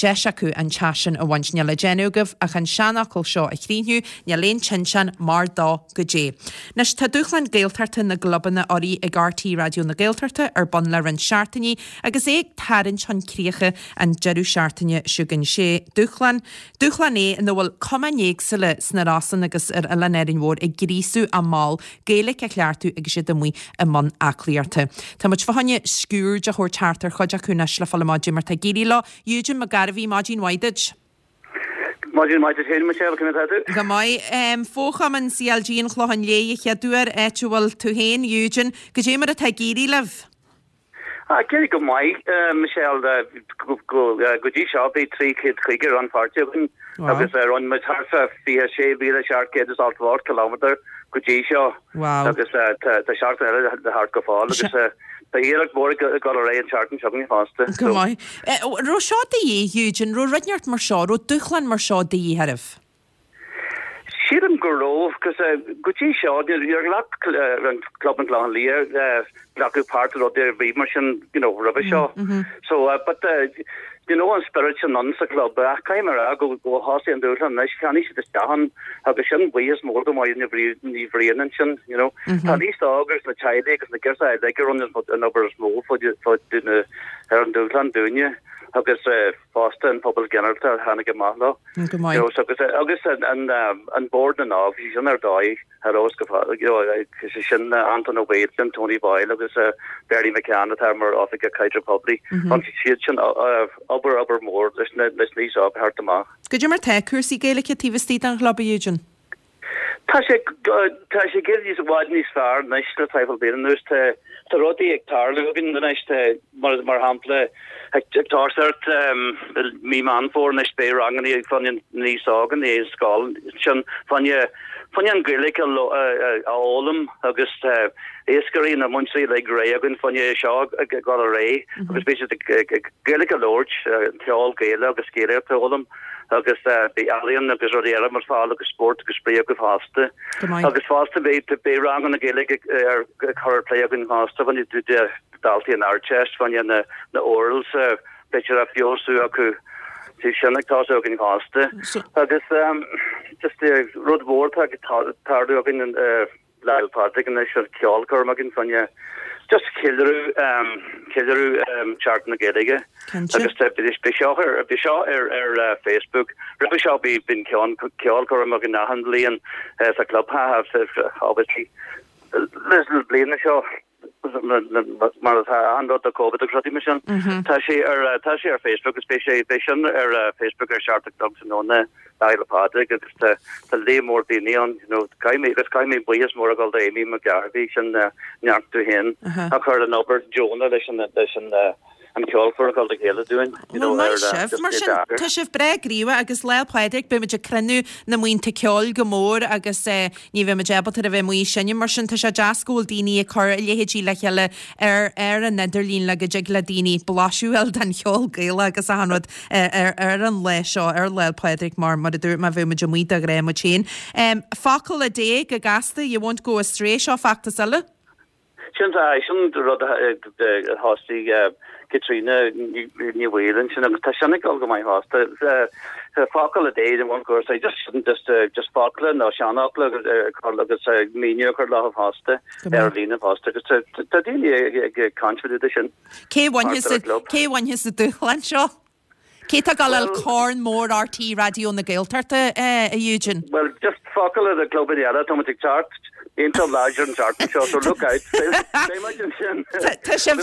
deis acu an teach sin a bhaint. Níl le déanamh agaibh ach an seanfhocal seo a chríochnú, níl aon tinteán mar do goidé. Anois tá Dúshlán Gaeltachta na gClubanna urraithe ag RTÉ Raidió na Gaeltachta ar bun le roinnt seachtainí agus é ag tarraingt chun críche an deireadh seachtaine seo chugainn. Sé dúshlán dúshlán é ina bhfuil cumainn éagsúla sna Rosann agus ar Oileán Árainn Mhór ag gríosú a mball Gaeilge a chleachtadh agus iad amuigh i mbun aclaíochta. Tá muid fá choinne sciuird a thabhairt thart ar chuid acu anois le fáil amach goidé mar tá ag éirí leo. Eugene Mac Gairbhí, maidin mhaith duit. Maidin mhaith duit féin, Michelle, conas atá tú? Go maith. Fo-chumann CLG an Chlocháin Léith a chéaduair, áit a bhfuil tú féin, Eugene. Goidé mar atá ag éirí libh? Ag éirí go maith, Michelle. Go dtí seo bhí trí chéad caoga rannpháirtí againn agus rinne muid thart fá fiche sé mhíle seacht gcéad is ochtó ocht kilometre go dtí seo agus tá seachtain eile le theacht go fóill agus tá iarracht mhór ag dul ar aghaidh an tseachtain seo chugainn fosta. Go maith. Raibh seo de dhíth, Eugene, raibh rud inteacht mar seo, raibh dúshlán mar seo de dhíth oraibh? Sílim go raibh, cos go dtí seo níor ghlac an Club an Clochán Liath glacadh páirt i rud ar bith mar sin you know roimhe seo. So but you know an spiorad sin ann sa chlub ach caithfidh mé a rá go go thosaigh an dúshlán anois cheannaigh siad isteach ann agus sin buíochas mór do Mháire Ní Ní Bhriain ansin you know. Tá an aos óg agus na teaghlaigh agus na girseacha uilig a rinne an obair is mó fá dtaobh na ar an dúshlán dúinne agus fosta an pobal ginearálta a tháinig amach leo. Go maith. You know, so agus agus an an an Bord na nÓg, bhí sin ar dóigh ar fheabhas go you know, sé sin Anton Ó Baoill, Tony Boyle agus Bernie McCann atá mar Oifigeach Caidreamh Poiblí. Rinne siad sin obair obair mhór leis na leis na aos óg a thabhairt amach. Goidé mar tá cúrsaí Gaeilge taobh istigh den chlub, a Eugene? Tá sé tá sé ag éirí i bhfad níos fearr anois le traidhfil bliain anuas. Tá tá rudaí ag tarlú againn anois. Tá mar mar shampla ag ag toiseacht mí Meán Fómhair anois beidh ranganna ag fá choinne na aos óg an scoil sin fá choinne fá choinne an Ghaeilge a fhoghlaim agus iascairí na múinteoirí uilig réidh againn fá choinne seo ag dul ar aghaidh agus beidh siad ag Gaeilge a labhairt, ceol Gaelach agus Gaeilge a fhoghlaim agus beidh ealaíon agus rudaí eile ar fáil agus spórt agus spraoi acu fosta. Agus fosta beidh beidh ranganna Gaeilge ar cur ar plé againn fosta fá choinne daltaí an Ardteist fá choinne na na orals b'fhéidir a feabhsú acu. Tá sin ag tosú againn fosta. Agus just rud mhór atá ag tarlú againn Lá Fhéile Pádraig anois an ceolchoirm againn fá choinne just ceiliúradh ceiliúradh Seachtain na Gaeilge. Agus beidh seo ar beidh seo ar ar Facebook. Roimhe seo bhí bíonn ceolchoirm againn achan bhliain sa clubtheach obviously leis na bliana seo mar atá an rud do Covid agus rudaí mar sin. Tá sé ar tá sé ar Facebook agus beidh sé beidh sin ar Facebook ar seacht a chlog tráthnóna Lá Fhéile Pádraig agus tá tá líon mór daoine ann you know caithfidh mé agus caithfidh mé buíochas mór a ghabháil do Amy McGarvey sin neart tú féin a chur an obair deonach leis an leis an an ceolchoirm a chur le chéile dúinn you know Well maith sibh mar sin tá sibh breá gníomhach agus Lá Fhéile Pádraig beidh muid ag cruinniú na mbuíonta ceoil go mór agus eh ní bheidh muid ábalta a bheith amuigh ag seinm mar sin tá sé deas go bhfuil daoine ag cur a leithéidí le chéile ar ar an idirlíon le go dtig le daoine blaiseadh a fháil den cheol Gaelach agus achan rud ar ar an lá seo ar Lá Fhéile Pádraig mar mar a dúirt mé bheadh muid amuigh de ghnáth muid féin. Focal a Dé go gasta you won't go astray seo feachtas eile. Sin é, sin rud a thosaigh Caitríona Ní Bhaoill ansin agus tá sin ag dul go maith fosta. Focal a day in one course, just just just focla nó seanfhocla agus míniú a chur leo fosta ar líne fosta agus tá daoine ag caint fá dtaobh de sin. Cé bhainfeas an dúshlán seo? Cé tá ag dul Corn Mór RTÉ Raidió na Gaeltachta, a Eugene? Bhuel, just focal ar na clubanna eile, tá muid ag teacht iontach láidir an tseachtain seo, so look out. Beidh muid ansin. Tá sibh...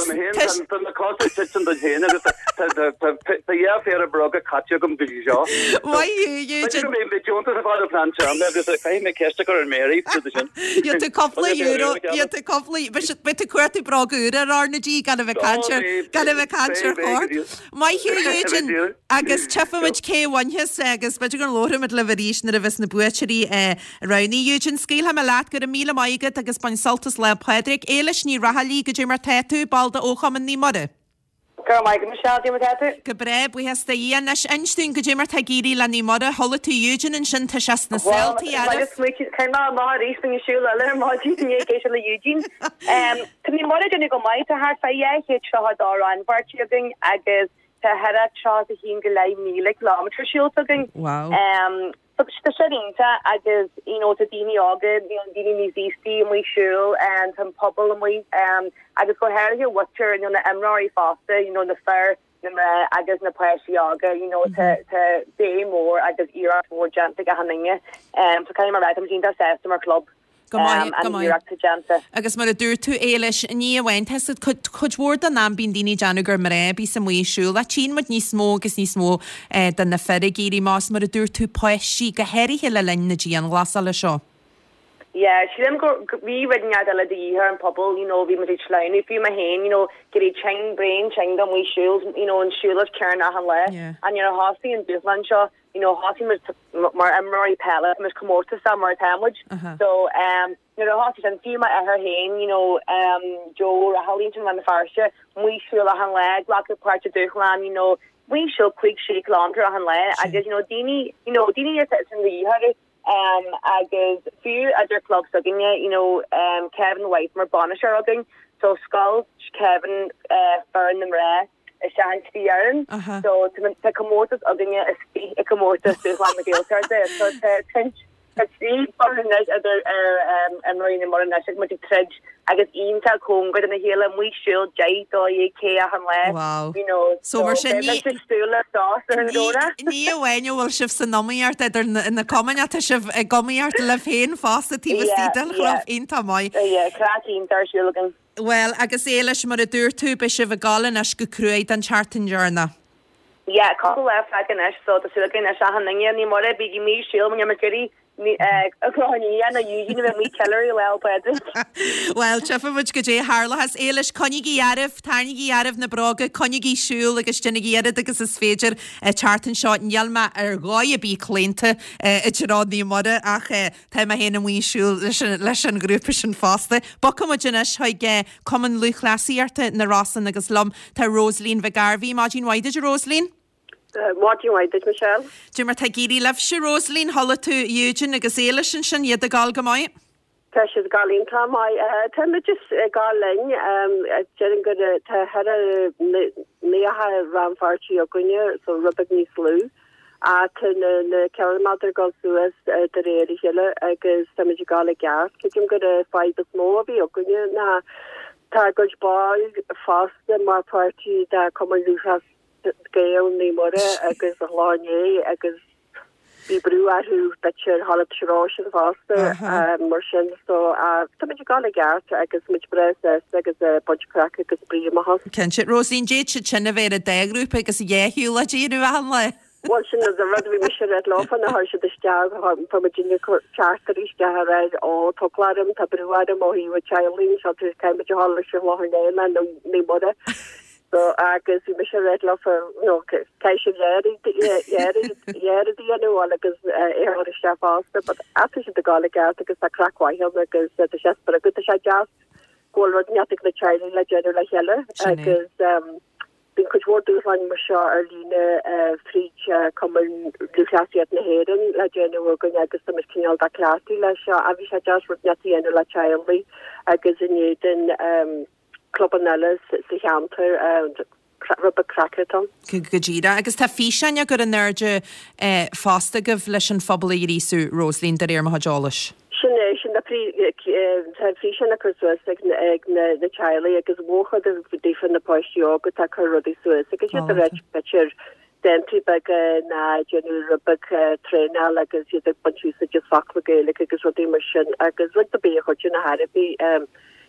Tá na cosa ag titim duit féin agus tá dhá phéire bróga caite agam go dtí seo. Maith thú, Eugene. B'fhéidir go mbeidh deontas ag fáil ó Plean Teanga agus caithfidh mé ceist a chur ar Mary fúthu sin. Gheobhaidh tú cúpla euro, gheobhaidh tú cúpla, beidh tú ag cuartú bróga úra ar ár na G gan a bheith ag caint ar, gan a bheith ag caint ar chor. Maith thú, Eugene, agus tchífimid cé a bhainfeas agus b'fhéidir go labhróimid libh arís nuair a bheas na buaiteoirí roghnaithe. Eugene, scaoilfidh mé leat, go raibh míle maith agat agus bain sult as Lá Pádraig. Éilis Ní Raghallaigh, goidé mar tá tú, ball de Fhochumann Naomh Muire. Go raibh maith agat, Michelle, goidé mar tá tú? Go breá, buíochas do Dhia. Anois, inis dúinn goidé mar tá ag éirí le Naomh Muire. Chuala tú Eugene ansin, tá sé sna Bhuel, saoltaí, smaoitigh, caithfidh mé amach arís faoin siúl eile ar maidin i ndiaidh éisteacht le Eugene. Tá Naomh Muire ag déanamh go maith, tá thart fá dhá chéad tríocha dó rannpháirtí againn agus tá thart ar tríocha a haon go leith míle kilometre siúlta againn. Wow. So tá sin iontach agus you know tá daoine óga, you know daoine níos aostaí amuigh ag siúl, tá an pobal amuigh agus go háirithe muintir you know na imreoirí fosta, you know na fir, na mná agus na páistí óga, you know tá tá béim mhór agus iarracht mhór déanta ag achan duine. So caithfidh mé a rá tá muid iontach sásta mar chlub. Go maith, go an maith. iarracht atá déanta. Agus mar a dúirt tú, Éilis, ní amháin, tá siad, cuid, cuid mhór den am bíonn daoine ag déanamh gur mná a bíos amuigh ag siúl, ach tchíonn muid níos mó agus níos mó de na fir ag éirí amach is mar a dúirt tú, páistí, go háirithe le linn na dianghlasála seo. Yeah, sílim go, go, bhí rud inteacht eile de dhíth ar an pobal, you know, bhí muid ag sleamhnú, fiú mé féin, you know, ag éirí tinn, braon tinn amuigh ag siúl, you know, an siúlóid céanna achan lá. Yeah. And nuair a thosaigh an dúshlán seo, you know, thosaigh muid mar imreoirí peile, tá muid comórtasach mar atá muid. So, um, nuair a thosaigh sin, fiú m'athair féin, you know, um, Joe Raghallaigh ansin i Rann na Feirste, amuigh ag siúl achan lá, glacadh páirt sa dúshlán, you know, amuigh ag siúl cúig sé kilometre achan lá agus, you know, daoine, you know, daoine atá sin de dhíth orthu. Um, agus fiú idir club s'againne, you know, um, Kevin White mar bainisteoir againn, so scoilt Kevin uh, foireann na mná isteach in trí fhoireann. So tá comórtas againne istigh i comórtas Dúshlán na Gaeltachta. So tá tá trí foireann anois idir imreoirí Naomh Muire anois agus muid ag troid agus iontach cóngar dona chéile amuigh ag siúl deich dó dhéag K achan lá. Wow. You know, So mar sin ní ag súil le sos ar an Domhnach. Ní amháin a bhfuil sibh san iomaíocht idir na cumainn ach tá sibh ag iomaíocht libh féin fosta taobh istigh den chlub. Iontach maith. Yeah, craic iontach ar siúl againn. Bhuel, agus Éilis, mar a dúirt tú, beidh sibh ag dul anois go cruaidh don tseachtain dheireanach. Yeah, cúpla lá fágtha anois so tá súil againn anois achan duine Naomh Muire bígí amuigh ag siúl mar bhí Clochán Liath nó Eugene a bheith amuigh ceiliúradh Lá 'le Pádraig. Bhuel, tchífidh muid goidé a tharlóchas. Éilis, coinnígí oraibh, tarraingígí oraibh na bróga, coinnígí ag siúl agus déanaigí oiread agus is féidir an tseachtain seo. Níl mé ar dhóigh ar bith claonta i dtreo Naomh Muire ach tá mé féin amuigh ag siúl leis an ghrúpa sin fosta. Bogfaidh muid anois chuig Cumann Lúthchleasaíochta na Rosann agus liom tá Rosaleen Mhic Gairbhí. Maidin mhaith duit, a Rosaleen. Maidin mhaith duit, Michelle. Cad é mar tá ag éirí libhse, Rosaleen, chuala tú Eugene agus Éilis ansin, iad ag gabháil go maith? Tá siad ag gabháil iontach maith. Tá muid just ag gabháil linn. Déarfainn gur tá thar naocha rannpháirtí againne, so rud beag níos lú. Tá na na ciliméadair ag dul suas de réir a chéile agus tá muid ag gabháil i gceart. Creidim gur an fadhb is mó a bhí againne ná tá a gcuid ball fosta mar pháirtí de Cumann Lúthchleas Gael Naomh Muire agus an Chlochán Liath agus bhí brú orthu b'fhéidir a ghabháil treo sin fosta mar sin so tá muid ag gabháil i gceart agus muid breá sásta agus baint craic agus spraoi amach as. Cinnte. Rosaleen, d'fhéadfadh siad sin a bheith ar an dá ghrúpa agus a dhá shiúlóid a dhéanamh achan lá. Bhuel sin an rud a bhí mise a rá leofa nuair a chuir siad isteach fuair muid teachtaireacht isteach a rá ó tá eagla orm tá brú orm ó thaobh an teaghlaigh anseo caithfidh muid a ghabháil leis an Chlochán Liath nó Naomh Muire. So agus bhí mise ag rá leofa you know caithfidh sibh iarraidh a dhéanamh agus é a chur isteach fosta but tá siad ag gabháil i gceart agus tá craic mhaith ann agus tá sé spreagúil tá sé deas go bhfuil rud inteacht ag na teaghlaigh le déanamh le chéile agus um, bíonn cuid mhór dúshláin mar seo ar líne fríd Cumann Lúthchleasaíocht na hÉireann le déanamh againn agus tá muid cineál dá cleachtadh leis seo a bhí sé deas rud inteacht a dhéanamh le teaghlaigh agus in éadan um, clubanna eile sa cheantar rud beag craic atá ann. Go díreach. Agus tá físeáin á gcur in airde fosta agaibh leis an phobal a ghríosú, Rosaleen, de réir mo chuid eolais. Sin é, sin na tá físeáin á cur suas ag na teaghlaigh agus mórchuid daofa na páistí óga atá ag cur rudaí suas agus iad ag ráit b'fhéidir dántaí beaga ná déanamh rud beag traenáil agus iad ag baint úsáid as focla Gaeilge agus rudaí mar sin agus rud ar bith a chuidíonn ar chor ar bith.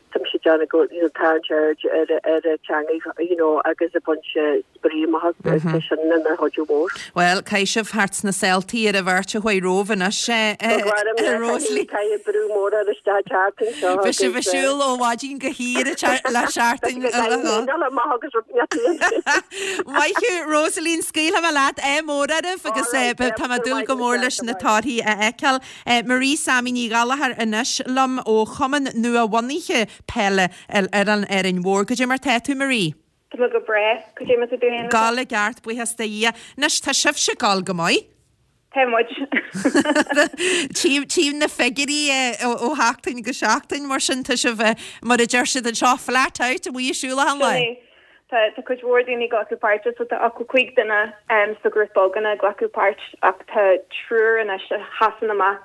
Tá mise ag déanamh go you know tarraingt aird ar ar an teanga you know agus ag baint spraoi amach as tá sin ina chuidiú mhór. Bhuel, caithfidh sibh thart sna saoltaí ar an bheirt a chuaigh romhaibh anois, a Rosaleen. Caithfidh brú mór ar isteach teacht anseo Beidh sibh ag siúl ó mhaidin go hoíche le seachtain amach agus rud Maith thú, Rosaleen, scaoilfidh mé leat ádh mór oraibh agus tá mé ag dúil go mór leis na torthaí a fheiceáil. Marie Sammy Ní Ghallchóir anois liom ó Chumann Nua-bhunaithe Peile ar an Árainn Mhór. Goidé mar tá tú, Marie? Tá mé go breá. Goidé mar tá tú féin? Ag gabháil i gceart, buíochas do Dhia. Anois, tá sibhse ag gabháil go maith. Tá muid. Tchím, tchím na figiúirí ó sheachtain go seachtain, mar sin tá sibh, mar a deir siad anseo, flat out, amuigh ag siúl achan lá. Sin é. Tá, tá cuid mhór daoine ag glacadh páirte, so tá ochtó cúig duine sa ghrúpa againne ag glacadh páirt ach tá triúr anois a sheasann amach.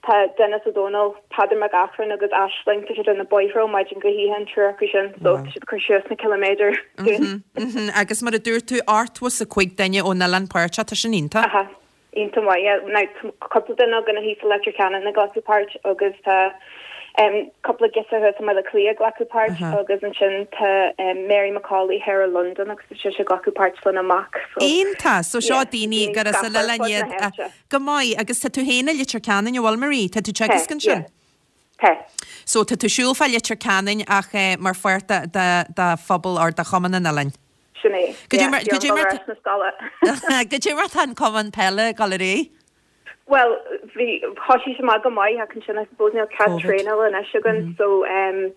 Tá Denis Ó Dónaill, Peadar Mac Eachrann agus Aisling, tá siad ar na bóithre ó maidin go hoíche an triúr acu sin, so tá siad ag cur suas na ciliméadair dúinn. Agus mar a dúirt tú, ochtó is a cúig duine ón oileán páirteach, tá sin iontach. Aha, iontach maith, yeah. Now tá cúpla duine againne thíos i Leitir Ceanainn ag glacadh páirt agus tá cúpla girseach thuas i mBaile Átha Cliath ag glacadh páirt agus ansin tá Mary McCauley thoir i Londain agus tá sise ag glacadh páirt lena mac so Iontach! So seo daoine gur as an oileán iad. Go maith. Agus tá tú féin i Leitir Ceanainn, an bhfuil, Marie? Tá tú ag teagasc ansin? Tá. So tá tú ag siúl fá Leitir Ceanainn ach mar pháirt de, de, de phobal or de chumann an oileáin. Sin é. Goidé mar, goidé mar, goidé mar tá an cumann peile ag dul ar aghaidh? Bhuel, bhí, thosaigh sé amach go maith ach ansin I suppose níl cead traenála anois againn so um,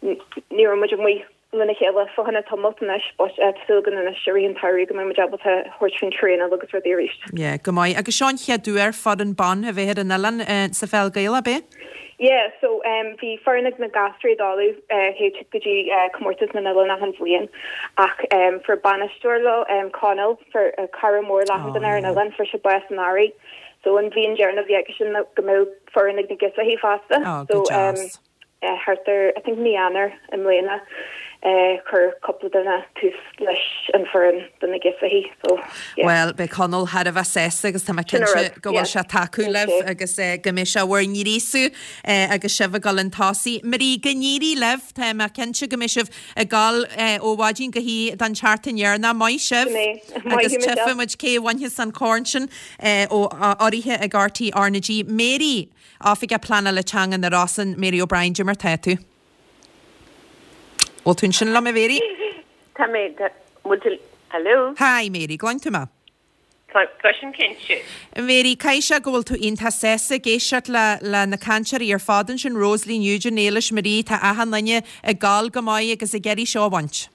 ní raibh muid amuigh lena chéile fá choinne tamalt anois but tá súil againn anois i rith an tsamhraidh go mbeidh muid ábalta thabhairt faoin traenáil agus rudaí arís. Yeah, go maith. Agus seo an chéad uair foireann ban a bheith ar an oileán eh, sa pheil Ghaelach, ab é? Yeah, so um, bhí foireann ag na gasraí i dTalamh uh, théid go dtí uh, comórtas na n-oileán achan bhliain ach um, fuair bainisteoir leo um, Conall fuair uh, cara mór le achan duine ar an oileán fuair sé bás san earrach. So an mhian deireanach a bhí aige sin go mbeadh foireann ag na girseachaí fosta. Oh, so go um, deas. uh, thart ar I think mí Eanáir i mbliana Chuir cúpla duine tús leis an foireann do na girseachaí so yeah. Bhuel, beidh Conall thar a bheith sásta agus tá mé cinnte go bhfuil sé ag tacú libh agus go mbeidh sé bhur ngríosú agus sibh ag dul chun tosaigh. Marie, go n-éirí libh, tá mé cinnte go mbeidh sibh ag dul ó mhaidin go hoíche don tseachtain dheireanach. Maith sibh agus tchífidh muid cé a bhainfeas an corn sin ó urraithe ag RTÉ RnaG. Mary, Oifigeach Pleanála Teanga na Rosann, Mary O'Brien, cad é mar tá tú? Bhfuil tú ansin liom, a Mhary? Tá mé, bhfuil tú, hello? Hi Mary, gcluin tú mé? Cloisim cinnte. Mary, caithfidh sé go bhfuil tú iontach sásta ag éisteacht le le na cainteoirí ar fad ansin, Rosaleen, Eugene, Éilis, Marie, tá achan duine ag gabháil go maith agus ag iarraidh seo a bhaint.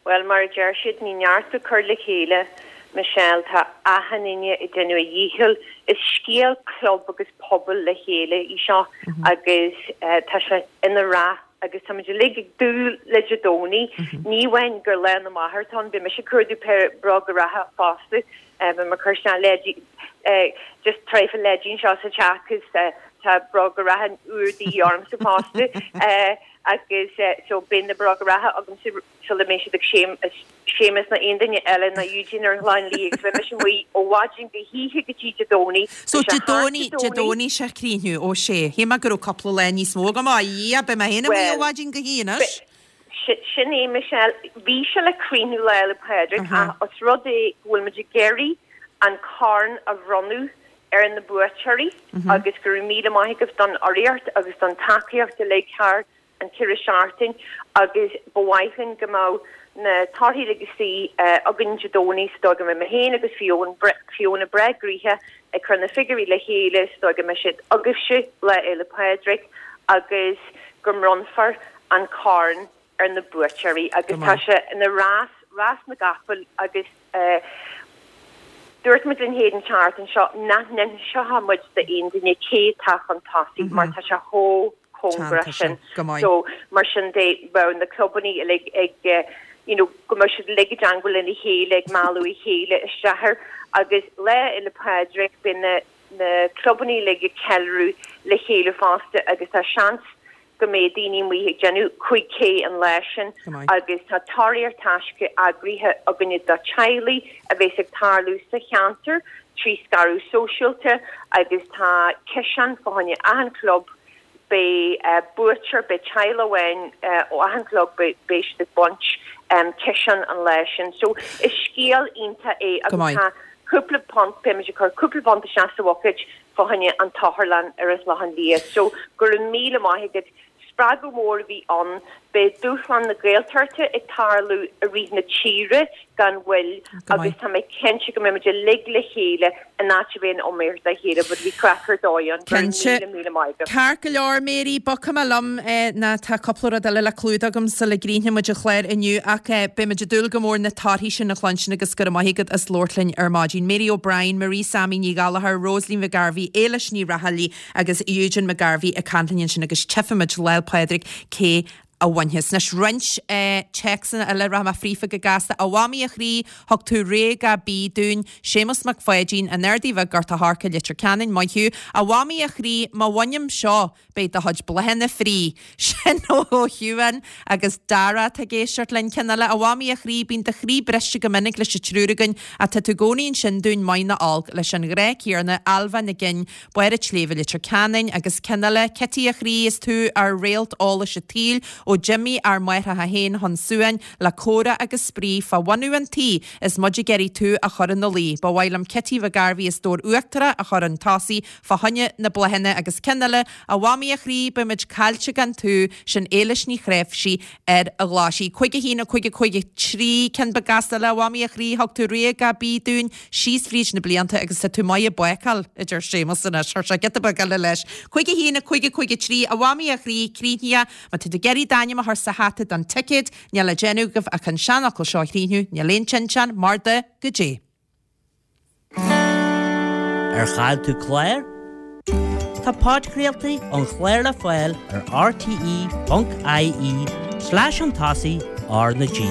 Bhuel, mar a deir siad, ní neart ag cur le chéile, Michelle, tá achan duine ag déanamh a dhícheall. Is scéal club agus pobail le chéile í seo agus tá sé ina rath agus táimid uilig ag dúil le Dé Domhnaigh. Ní amháin gur Lá na Máthar atá ann, beidh mise ag cuardú péire bróga reatha fosta, beidh mé ag cur isteach leidí, just traidhfil leidí anseo sa teach 'cause tá bróga reatha úr de dhíth ormsa fosta agus so beidh na bróga reatha agamsa sula mbeidh siad ag Séamus ná aon duine eile ná Eugene ar an Chlochán Liath agus beidh mise amuigh ó mhaidin go hoíche go dtí Dé Domhnaigh. So Dé Domhnaigh, Dé Domhnaigh sé críochnú, ó sé. Shíl mé go raibh cúpla lá níos mó agam, á Dhia, beidh mé féin amuigh ó mhaidin go hoíche anois. Sin é Michelle, bhí sé le críochnú Lá Fhéile Pádraig ach os rud é go bhfuil muid ag iarraidh an corn a bhronnadh ar na buaiteoirí agus go raibh míle maith agaibh don urraíocht agus don tacaíocht uilig thar an ceithre seachtain agus ba mhaith linn go mbeadh na torthaí uilig istigh againn Dé Domhnaigh sa dóigh go mbeidh mé féin agus Fiona breá gnoitheach ag cur na figiúirí le chéile sa dóigh go mbeidh siad agaibhse Lá Fhéile Pádraig agus go mbronnfar an corn ar na buaiteoirí agus tá sé ina rás, rás na gcapall agus dúirt muid linn féin an tseachtain seo nach n-inseoidh muid d'aon duine cé atá chun tosaigh mar tá sé chomh cóngarach sin. So mar sin de bheadh na clubanna uilig ag you know go mbeadh siad uilig i dteangmháil lena chéile ag mealladh a chéile isteach air agus Lá Fhéile Pádraig beidh na na clubanna uilig ag ceiliúradh le chéile fosta agus tá seans go mbeidh daoine amuigh ag déanamh cúig K an lá sin agus tá tóraíocht taisce eagraithe againne do teaghlaigh a bheas ag tarlú sa cheantar trí scaradh sóisialta agus tá ciseán fá choinne achan chlub Beidh buaiteoir, beidh teaghlach amháin ó achan chlub, beidh siad ag baint ciseán an lá sin. So is scéal iontach é agus tá cúpla punt, beidh muid ag cur cúpla punt isteach sa bhuicéid fá choinne an tSotharlann ar an Chlochán Liath. So go raibh míle maith agat. Spreagadh mór a bhí ann. Beidh Dúshlán na Gaeltachta ag tarlú i rith na tíre gan mhoill agus tá mé cinnte go mbeidh muid uilig le chéile in áit a bheith in iomaíocht dá chéile but bhí craic ar dóigh ann. Go raibh míle míle maith agat. Ceart go leor Mary, bogfaidh mé liom ná tá cúpla rud eile le clúdach agam sula gcríochnóidh muid an clár inniu ach beidh muid ag dúil go mór na torthaí sin a chluinstin agus go raibh maith agat as labhairt linn ar maidin. Mary O'Brien, Marie Sammy Ní Ghallchóir, Rosaleen McGarvey, Éilis Ní Raghallaigh agus Eugene McGarvey ag caint linn ansin agus tchífimid Lá 'le Pádraig cé a bhainfeas. Anois roinnt téacsanna eile, rachaidh mé fríofa go gasta. A Mhamaí a chroí, thug tú rogha bídh dúinn, Séamus Mac Pháidín, An Ardaidh Bheag, Gort a' Choirce, Leitir Ceanainn, maith thú. A Mhamaí a chroí, má bhainim seo, beidh do chuid bláthanna free. Sin ó Shiubhán agus Dara atá ag éisteacht linn. Ceann eile, A Mhamaí a chroí, bíonn do chroí briste go minic leis an triúr againn ach tá tú i gcónaí ansin dúinn maith nó olc, leis an ghrá céanna, Ailbhe Nic Fhinn, Barr an tSléibhe Leitir Ceanainn agus ceann eile, Cití a chroí, is tú ár réalt eolais an tsaoil, ó d'imigh ár máithreacha féin chun suain le comhrá agus spraoi fá bhunú an tí is muid ag iarraidh tú a chur ina luí. Ba mhaith liom Cití McGarvey as Dobhar Uachtarach a chur chun tosaigh fá choinne na bláthanna agus ceann eile, A Mhamaí a chroí, beimid caillte gan tú, sin Éilis Ní Chnáimhsí ar an Ghlaisigh. Cúig a haon, a cúig, a cúig, a trí, ceann beag gasta eile, a Mhamaí a chroí, thug tú rogha bídh dúinn síos fríd na blianta agus tá tú maith ag bácáil, a deir Séamus anois. Chuir sé giota beag eile leis. Cúig a haon, a cúig, a cúig, a trí, a Mhamaí a chroí, críochnaithe, má tá tú ag iarraidh d'ainm a chur sa hata don ticéad, níl le déanamh agaibh ach an seanfhocal seo a chríochnú, níl aon tinteán mar do goidé. Ar chaill tú clár? Tá podchraoltaí an chláir le fáil ar rte ponc ie slash chun tosaigh R na G.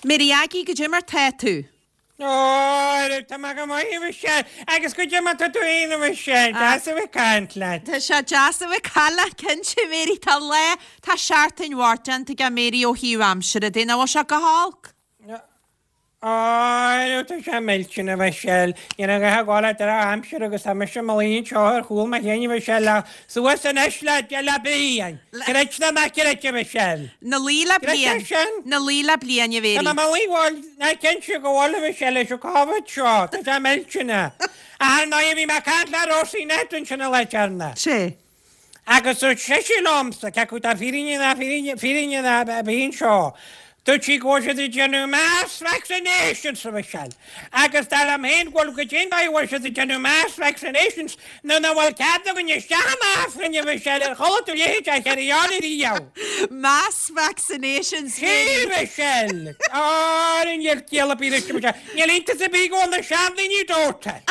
Mary Aggie, goidé mar tá tú? Ó, tá mé go maith, a Mhichelle, agus goidé mar tá tú fhéin, a Mhichelle, deas a bheith ag caint leat. Tá sé deas a bheith ag caint leat, cinnte, Mary, tá lá, tá seachtain mhaith déanta aige Mary ó thaobh aimsire de, nach bhfuil sé go holc? Ó, tá sé millteanach, a Mhichelle, níl a dhath ag gabháil le drochaimsir agus tá mise i mo luí anseo ar chúl mo chinn, a Mhichelle, ach suas anois le, le bliain! Creid nó ná creid, a Mhichelle. 'Na luí le Creid bliain. é sin? 'Na luí le bliain, a Mhéirí. Tá mé i mo luí, bhuel, ná cinnte go bhfuil, a Mhichelle, leis an Covid seo, tá sé millteanach. Ach ar ndóigh, bhí mé ag caint le Rosie Ned ansin an lá deireanach. Sé. Agus dúirt sise liomsa, cé acu tá fírinne ná fírinne, fírinne ná a bhí anseo, dúirt sí go bhfuil siad ag déanamh mass vaccinations, a Mhichelle. Agus dar liom féin go bhfuil go dtí an dóigh a bhfuil siad ag déanamh mass vaccinations nuair nach bhfuil cead againn isteach in Aifreann, a Mhichelle, ar chuala tú a leithéid de carry on ariamh? Mass vaccinations, Sea, a Mhichelle! Á, níl ciall ar bith leis, a Mhichelle. Níl iontas ar bith go bhfuil na seandaoine dóite.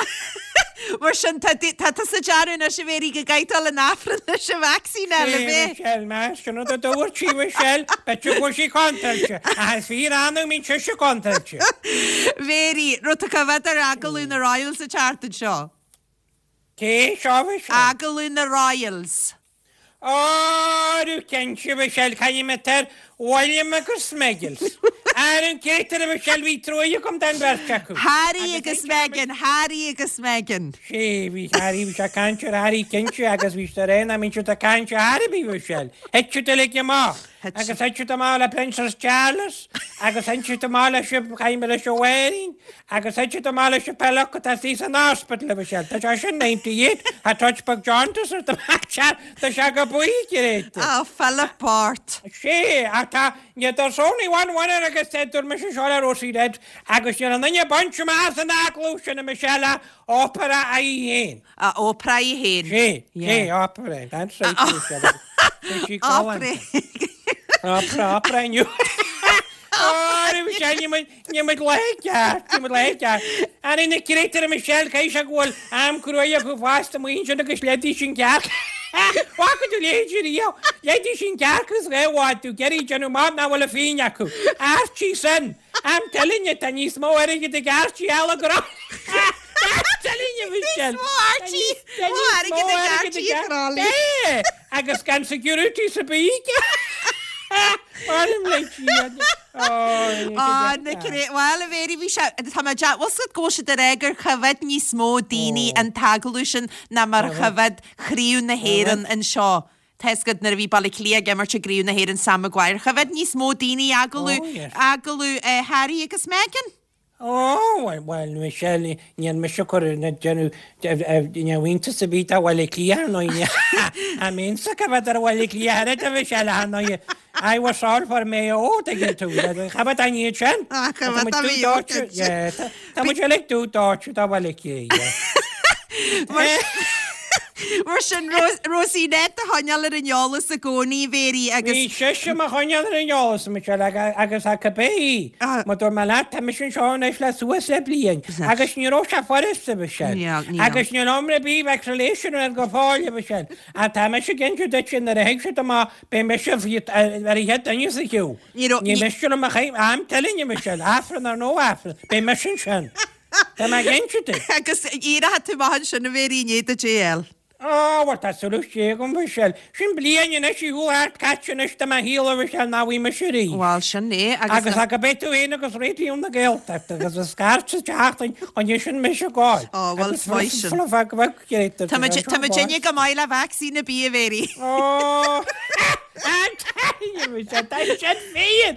Mar sin, tá tá tusa ag dearú anois, a Mhéirí, go gcaithfidh dul in Aifreann leis an vacsaín eile, Sea, b'é? Michelle, más sin rud a dúirt sí, Michelle, b'fhéidir go bhfuil sí contráilte, ach is fíor-annamh a mbíonn sise contráilte. Mhéirí, raibh tú coimhéad ar agallamh na Royals an tseachtain seo? Cé seo, Michelle? Agallamh na Royals. Ó, cinnte, Michelle, caithfidh mé ar William agus Smeggles. Ar an gcéad a Michelle, bhí truaighe agam don bheirt acu. Harry agus Meghan, Harry agus Meghan. Sea, bhí Harry, bhí sé ag caint ar Harry cinnte agus bhí sé ar nach mbíonn siad ag caint ar Harry, bhí Michelle. Thit siad uilig amach. Agus thit siad amach le Princess Charles agus thit siad amach leis an, caithfidh mé leis an Mháirín agus thit siad amach leis an Philip atá istigh san hospital, a Michelle. Tá sé sin ninety eight, tá touch beag jaundice ar do Tá sé go buí gréite. Á, Philip Bart. Sea, ach tá, ní there's only one winner agus dúirt mise seo le Rosie Red agus níl aon duine bainte amach as an agallamh sin a Michelle ach Oprah í féin. A Oprah í féin. Sea, sea, Oprah, that's right, Michelle. Bhí sí galánta. Oprah, Oprah inniu. Ó, Michelle, ní muid, ní muid le ceart, ní muid le ceart. Ar na créatúir Michelle, caithfidh sé go bhfuil am cruaidh acu fosta amuigh ansin agus leidís an cearc. Bhfaca tú leithéid riamh? Leidís an cearc agus dhá bhád tú ag iarraidh déanamh amach nach bhfuil a phingin acu. Archie sin! I'm telling you, tá níos mó airgid ag Archie eile go raibh. I'm telling you, Michelle. Níos mó Archie, mó airgid ag Archie a Chráilí. Agus gan security sa bíc. Á, na cré, bhuel, a Mhéirí, bhí sé, tá mé deá, bhfuil 's agat go bhfuil siad ag rá gur choimhéad níos mó daoine an t-agallamh sin ná mar a choimhéad Craobh na hÉireann anseo. Tá 'fhios agat nuair a bhí Baile Átha Cliath ag imirt i gCraobh na hÉireann Sam Maguire, choimhéad níos mó daoine agallamh, agallamh Harry agus Meghan. Ó, bhuel, bhuel, Michelle, níl mise ag cur na déanamh, ní raibh iontas ar bith do Bhaile Átha Cliath, ar ndóigh, I mean, sa choimhéad ar Bhaile Átha Cliath oiread a Mhichelle, ar ndóigh, I was all for Mayo, tuigeann tú, choimhéad an iad sin. Ah, choimhéad Tá an muid Mayo, dúdóite, yeah, tá tá muid uilig dúdóite do Bhaile Átha Cliath, yeah. Mar sin, Rosie Ned do choinneáil ar an eolas i gcónaí, a Mhéirí, agus. Bhí sise mo choinneáil ar an eolas, Michelle, agus ach cibé í, mar dúirt mé leat, tá mise anseo anois le suas le bliain, agus ní raibh sé furasta, Michelle. Níl, níl. Agus níl iomrá ar bith vaccination ar go fóill, a Mhichelle. Ach tá mise ag inse duit nuair a thig siad amach, beidh mise ar an chéad duine sa chiú. Ní raibh, Ní miste liom a chaith, I'm telling you, Michelle, Aifreann or no Aifreann, beidh mise ansin. Tá mé ag inse duit. Agus éireoidh tú amach ansin a Mhéirí i ndiaidh duit é a fháil. Ó, bhuel, tá súil agam, Michelle. Sin bliain anois ar shiúl thart caite anois de mo shaol, a Mhichelle, nach bhfaighidh mise arís. Bhuel, sin é, agus. Agus ach go beidh tú féin agus Raidió na Gaeltachta agus a scairt sa tseachtain chun é sin mise a ghabháil. Ó, bhuel, is maith sin. Tá Tá muid, tá muid inne go maith le vacsaín ar bith, a Mhéirí. Ó, I'm telling you, Michelle, tá sin féin!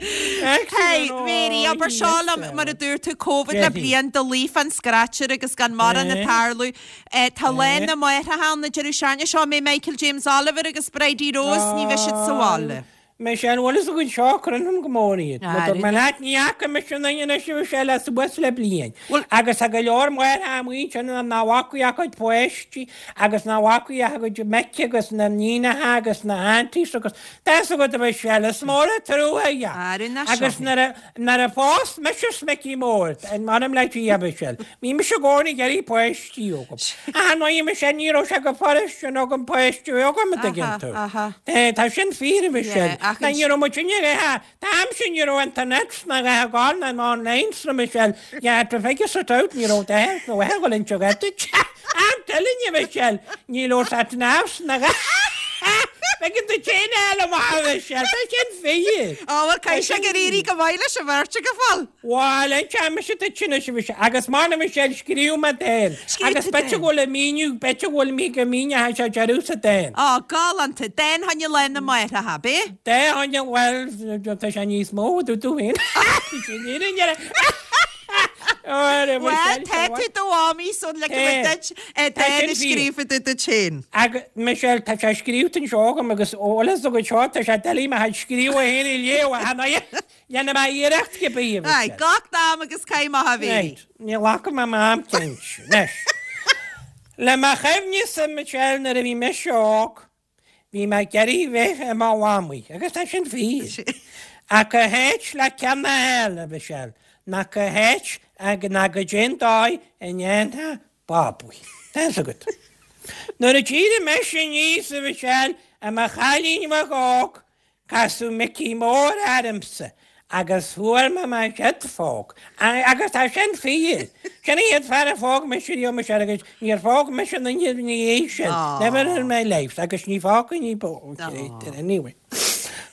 Hey, Mhéirí, abair seo liom, mar a dúirt tú, Covid le bliain do luí fán scratcher agus gan mórán ag tarlú. Tá Lá na Máithreacha ann an deireadh seachtaine seo, mbeidh Michael James Oliver agus Bridie Rose, ní bheidh siad sa bhaile. Michelle, bhfuil fhios agat seo, cuireann go mór iad. Mar dúirt mé leat, ní fhaca mise aon duine anois a Mhichelle le suas le bliain. Agus tá go leor máithreacha amuigh ansin nach bhfaca a gcuid páistí agus nach bhfaca a gcuid mic agus na níonacha agus na aunties agus tá fhios agat a Mhichelle, is mór an trua é. Agus nuair a Nuair a phós mise Micí Mór, m'anam le Dia, a Mhichelle, bhí mise i gcónaí ag iarraidh páistí agam. Ach ar ndóigh, Michelle, ní raibh sé go furast sin agam páistí agam, an dtuigeann tú. Tá sin fíor, a Mhichelle. Ach Ní raibh muid inne an t-am sin ní raibh internet ná a dhath ná online sna Michelle. You had to figure it out ní raibh deir nó a bhfuil inse duit. Am telling you Michelle, ní raibh sat navs ná Beidh tú céin eile maith Michelle, tá sin fíor. Á bhuel caithfidh sé gur éirigh go maith leis an bheirt go fóill. Bhuel, an teama seo duit anois a Mhichelle, agus mar a Michelle scríobh mé dán. Scríobh Agus tú b'fhéidir dán. go bhfuil an míniú, b'fhéidir go bhfuil mí go míneoidh sé deireadh sa dán. Á, galánta. Dán fá choinne Lá na Máithreacha, ab é? Dán fá choinne, bhuel, tá sé níos mó, dúirt tú féin. Sin fhírinne. Bhuel, tá tú do mhamaí so le go mbeidh duit dán a scríofa duit féin. Agus Michelle, tá sé scríobhta anseo agam agus eolas agat seo, tá sé doiligh mo chuid scríobh féin a léamh a cheana. Dhéanfaidh mé iarracht cibé, a Aye, Michelle. glac d'am agus caith amach a Mhéirí. Right, ní ghlacfaidh mé m'am cinnte. Anois, le mo chuimhne-sa, Michelle, nuair a bhí mise óg, Bhí mé ag iarraidh bheith i mo mhamaí, agus tá sin fíor. Ach cá háit le ceann a fháil, a Mhichelle, ná cá háit ná goidé an dóigh a ndéanfá babaí. Tá fhios agat. Nuair a d'éirigh mise aníos, a Mhichelle, i mo chailín bheag óg, Casadh Micí Mór ormsa agus fuair mé mo chéad phóg. Agus tá sin fíor. Sin an chéad fear a phóg mise riamh, Michelle, agus níor phóg mise aon duine ina dhiaidh sin. Never in my life. Agus ní phógfainn ní bó. Anyway.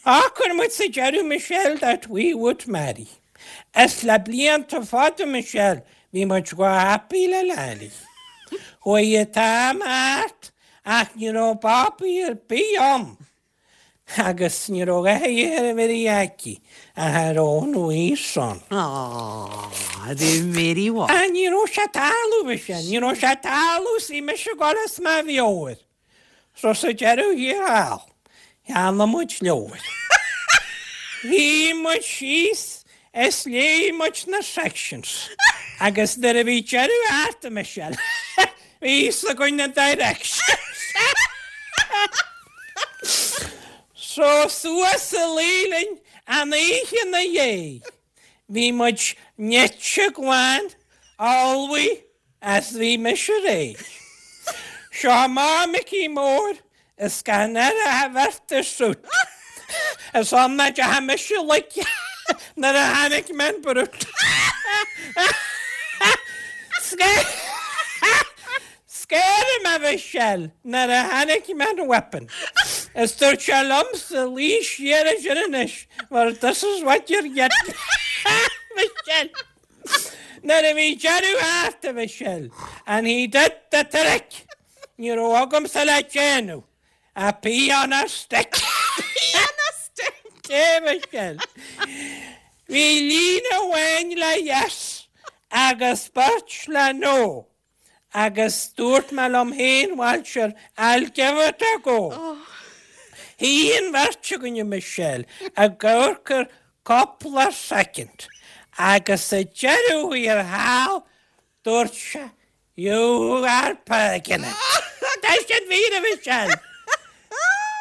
Shocraigh muid sa deireadh, Michelle, that we would marry. Is le blianta fada, Michelle, bhí muid go happy le leanaí. Chuaigh an t-am thart ach ní raibh babaí ar bith ann. Agus ní raibh a dhath ar Mhary aici ach her own wee son. Aww, the Mary what? Ah, ní raibh sé ag tarlú, Michelle, ní raibh sé ag tarlú, 's bhí mise ag dul as mo mheabhair. So sa deireadh thiar thall, cheannaigh muid leabhar. Shuigh muid síos is léigh muid na sections. Agus nuair a bhí deireadh thart, a Michelle, bhí fhios againn na directions. So suas a luí linn an oíche ina dhiaidh. Bhí muid nite glan, ullmhaithe is bhí mise réidh. Seo amach Micí Mór is gan air ach a bheart is suit. Is ann a d'fhéach mise like nuair a chonaic mé an brute. Scared mé Michelle nuair a chonaic mé an weapon. Is dúirt sé liomsa luí siar ansin anois mar this is what you're getting. Michelle. Nuair a bhí deireadh thart a Mhichelle and he did the trick ní raibh agamsa le déanamh ach pee on a stick. Pee on a stick! É Michelle. Bhí líne amháin le yes agus beirt le no. Agus dúirt mé liom féin, bhuel sure, I'll give it a go. Shuigh an bheirt againn, a Michelle, ag amharc air cúpla soicind agus sa deireadh thiar thall, dúirt sé, You are pregnant. Tá sin fíor, a Michelle!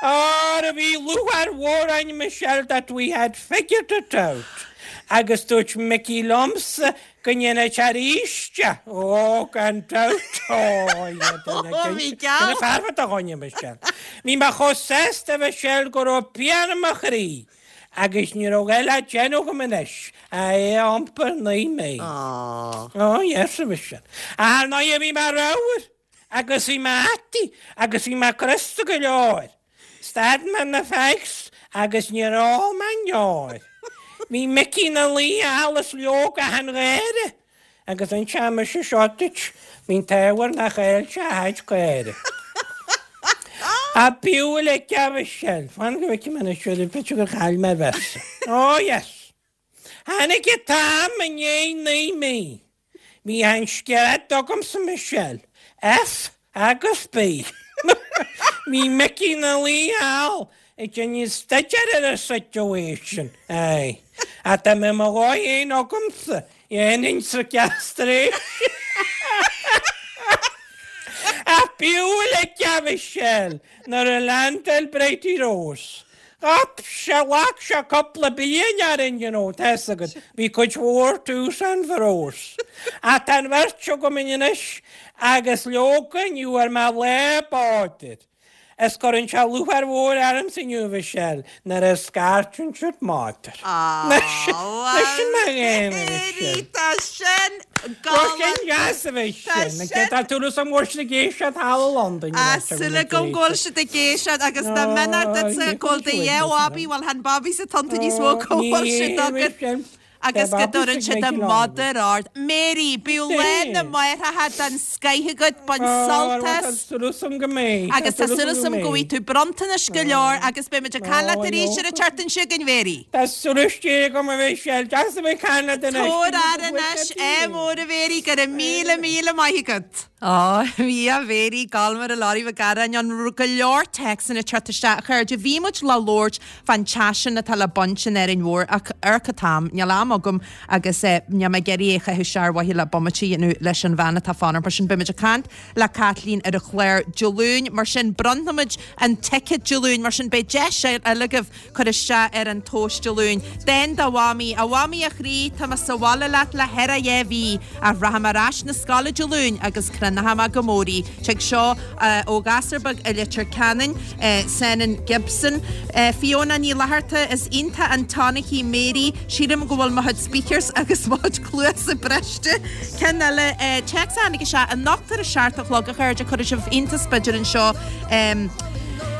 Óra bhí lúcháir mhór orainn, Michelle, that we had figured it out. Agus dúirt Micí liomsa go ndéanfadh sé arís é. Ó, gan dabht. Ó, bhí geall. Sin fear do dhuine, Michelle. Bhí mé chomh sásta, Michelle, go raibh pian i mo chroí. Agus ní raibh a dhath le déanamh agam anois ach é a iompar naoi mí. Ó, yes, a Mhichelle. Ach ar ndóigh bhí mé ramhar. Agus bhí mé ataí agus bhí mé crosta go leor. Stad mé na fags agus níor ól mé an deoir. Bhí Micí ina luí thall is leoga achan gháire. Agus inseoidh mise seo duit, bhí an t-ádh air nár chaill sé a chuid caora. A b'fhiú uilig a Mhichelle. Fan go bhfeicfidh mé anois, b'fhéidir gur chaill mé véarsa. Oh yes. Tháinig an t-am i ndiaidh naoi mí. Bhí an scread agamsa Michelle, F agus B. Bhí Micí ina luí thall ag déanamh staidéir ar an situation. Aye. Ach dá mbeadh mo dhóigh féin agamsa, dhéanfainn sa castration. Ach b'fhiú uilig a Mhichelle nuair a leaindeáil Bridie Rose. Ghlac sé, ghlac sé cúpla bliain orainn, you know, tá fhios agat, bhí cuid mhór twos and fros. Ach tá an bheirt agam anois agus leoga ní bhfuair mé lá bádair. Is cuireann sé lúcháir mhór ormsa inniu a Mhichelle nuair a scairteann siad matar. Sin mar ghéim a Mhichelle. Tá sin Tá sin deas a Mhichelle. Tá sin. Tá tú sa mhór siad ag éisteacht thall i Londain. Tá súil agam go bhfuil siad ag éisteacht agus dá mbeadh duitse go bhfuil do dhá bhabaí, bhuel chan babaí sa tonnta níos mó go bhfuil siad agat. Agus go dtabhrann siad a mother ard. Mary, bíodh Lá na Máithreacha den scoith agat, bain sult as. Tá súil agam go mbeidh. Agus tá súil agam go bhfaighidh tú bronntanais go leor agus beidh muid ag caint leat arís ar an tseachtain seo chugainn, Mary. Tá súil istigh agam a Mhichelle, deas a bheith ag caint leat anois. Tabhair aire anois, ádh mór a Mhary, go raibh míle míle maith agat. Á, bhí a Mhary, Galmer a Lorry Mhic Gearáin ann, go leor téacsanna ag teacht isteach, a chairde. Bhí muid le labhairt fán teach sin atá le baint in Árainn Mhór ach amharc an t-am, níl am agam agus níl mé ag iarraidh é a chaitheamh isteach ar mhaithe le bomaite a dhéanamh leis an bhean atá fanacht. Mar sin beidh muid ag caint le Caitlín ar an chlár Dé Luain. Mar sin bronnfaimid an ticket Dé Luain. Mar sin beidh deis eile agaibh cur isteach ar an tomhas Dé Luain. Dán do Mhamaí, A Mhamaí a chroí, tá mé sa bhaile leat le ceithre dhá mhí ach rachaidh mé ar ais 'na scoile Dé Luain agus cronóidh mé go mór í. Tig seo ó ghasúr beag i Leitir Ceanainn, Senan Gibson. Fiona Ní Fhlatharta, Is iontach an tonic í Mary, sílim go bhfuil mo chuid speakers agus mo chuid cluasa briste. Ceann eile, téacs a tháinig isteach anocht ar a seacht a chlog a chairde, cuirfidh sibh iontas b'fhéidir anseo.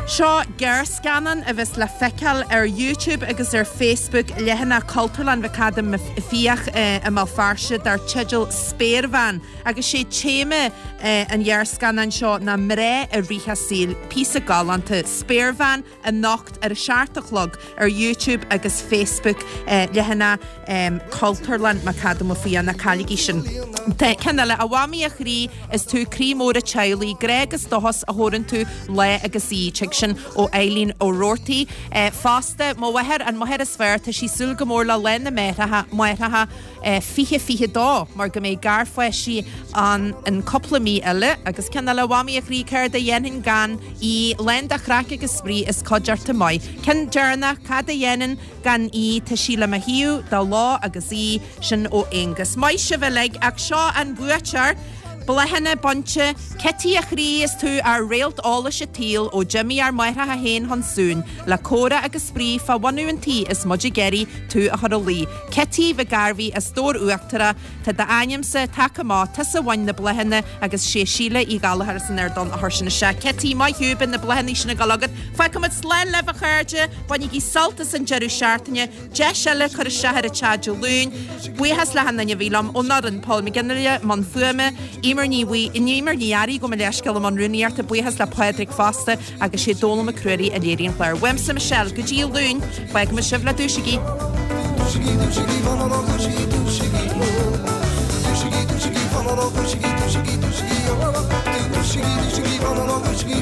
Seo gearrscannán a bheas le feiceáil ar YouTube agus ar Facebook leathanach Cultúrlann McAdam Fiaich i mBéal Feirste dar teideal Spéirbhean agus sé téama an ghearrscannáin seo ná mná i rith a saoil. Píosa galánta. Spéirbhean anocht ar a seacht a chlog ar YouTube agus Facebook leathanach Cultúrlann McAdam Ó Fiaich. Ná cailligí sin. Ceann eile, A Mhamaí a chroí, is tú croí mór an teaghlaigh, grá agus dóchas a thabhrann tú lá agus oíche. Tig sin ó Eileen Ó Roarty. Fosta, mo mháthair, an mháthair is fearr, tá sí ag súil go mór le Lá na Máithreacha, Máithreacha fiche fiche dó mar go mbeidh garpháistí ann in cúpla mí eile. Agus ceann eile, a Mhamaí a chroí, céard a dhéanfainn gan í, lán de chraic agus spraoi is cuideachta maith. Ceann deireanach, cad a dhéanfainn gan í, tá sí le mo thaobh de ló agus oíche, sin ó Aonghus. Maith sibh uilig, ach seo an buaiteoir! Bláthanna bainte, Cití a chroí is tú ár réalt eolais an tsaoil ó d'imigh ár máithreacha féin chun suain, le comhrá agus spraoi fá bhunú an tí is muid ag iarraidh tú a chur a luí. Cití Mhic Gairbhí as Dobhar Uachtarach, tá d'ainmse tagtha amach, tusa a bhain na bláthanna agus sé Síle Uí Ghallchóir as an Ard Donn a chuir sin isteach. Cití, maith thú, beidh na bláthanna sin ag dul agat. Fágfaimid slán libh a chairde, bainigí sult as an deireadh seachtaine. Deis eile cur isteach ar an teach Dé Luain. Buíochas le hachan duine a bhí liom ón fhoireann, Paul McGinley, mbun fuaime, Eimear Ní Eimear Ní Fhearraigh gabh mo leithscéal i mbun rúnaíochta, buíochas le Pádraig fosta agus sé Dónal Mac Ruairí a léirigh an clár. Uaimse Michelle, go dtí Luan, fágfaimid sibh le Dúisigí. Dúisigí, dúisigí, dúisigí, dúisigí, dúisigí, dúisigí, dúisigí, dúisigí, dúisigí, dúisigí, dúisigí, dúisigí,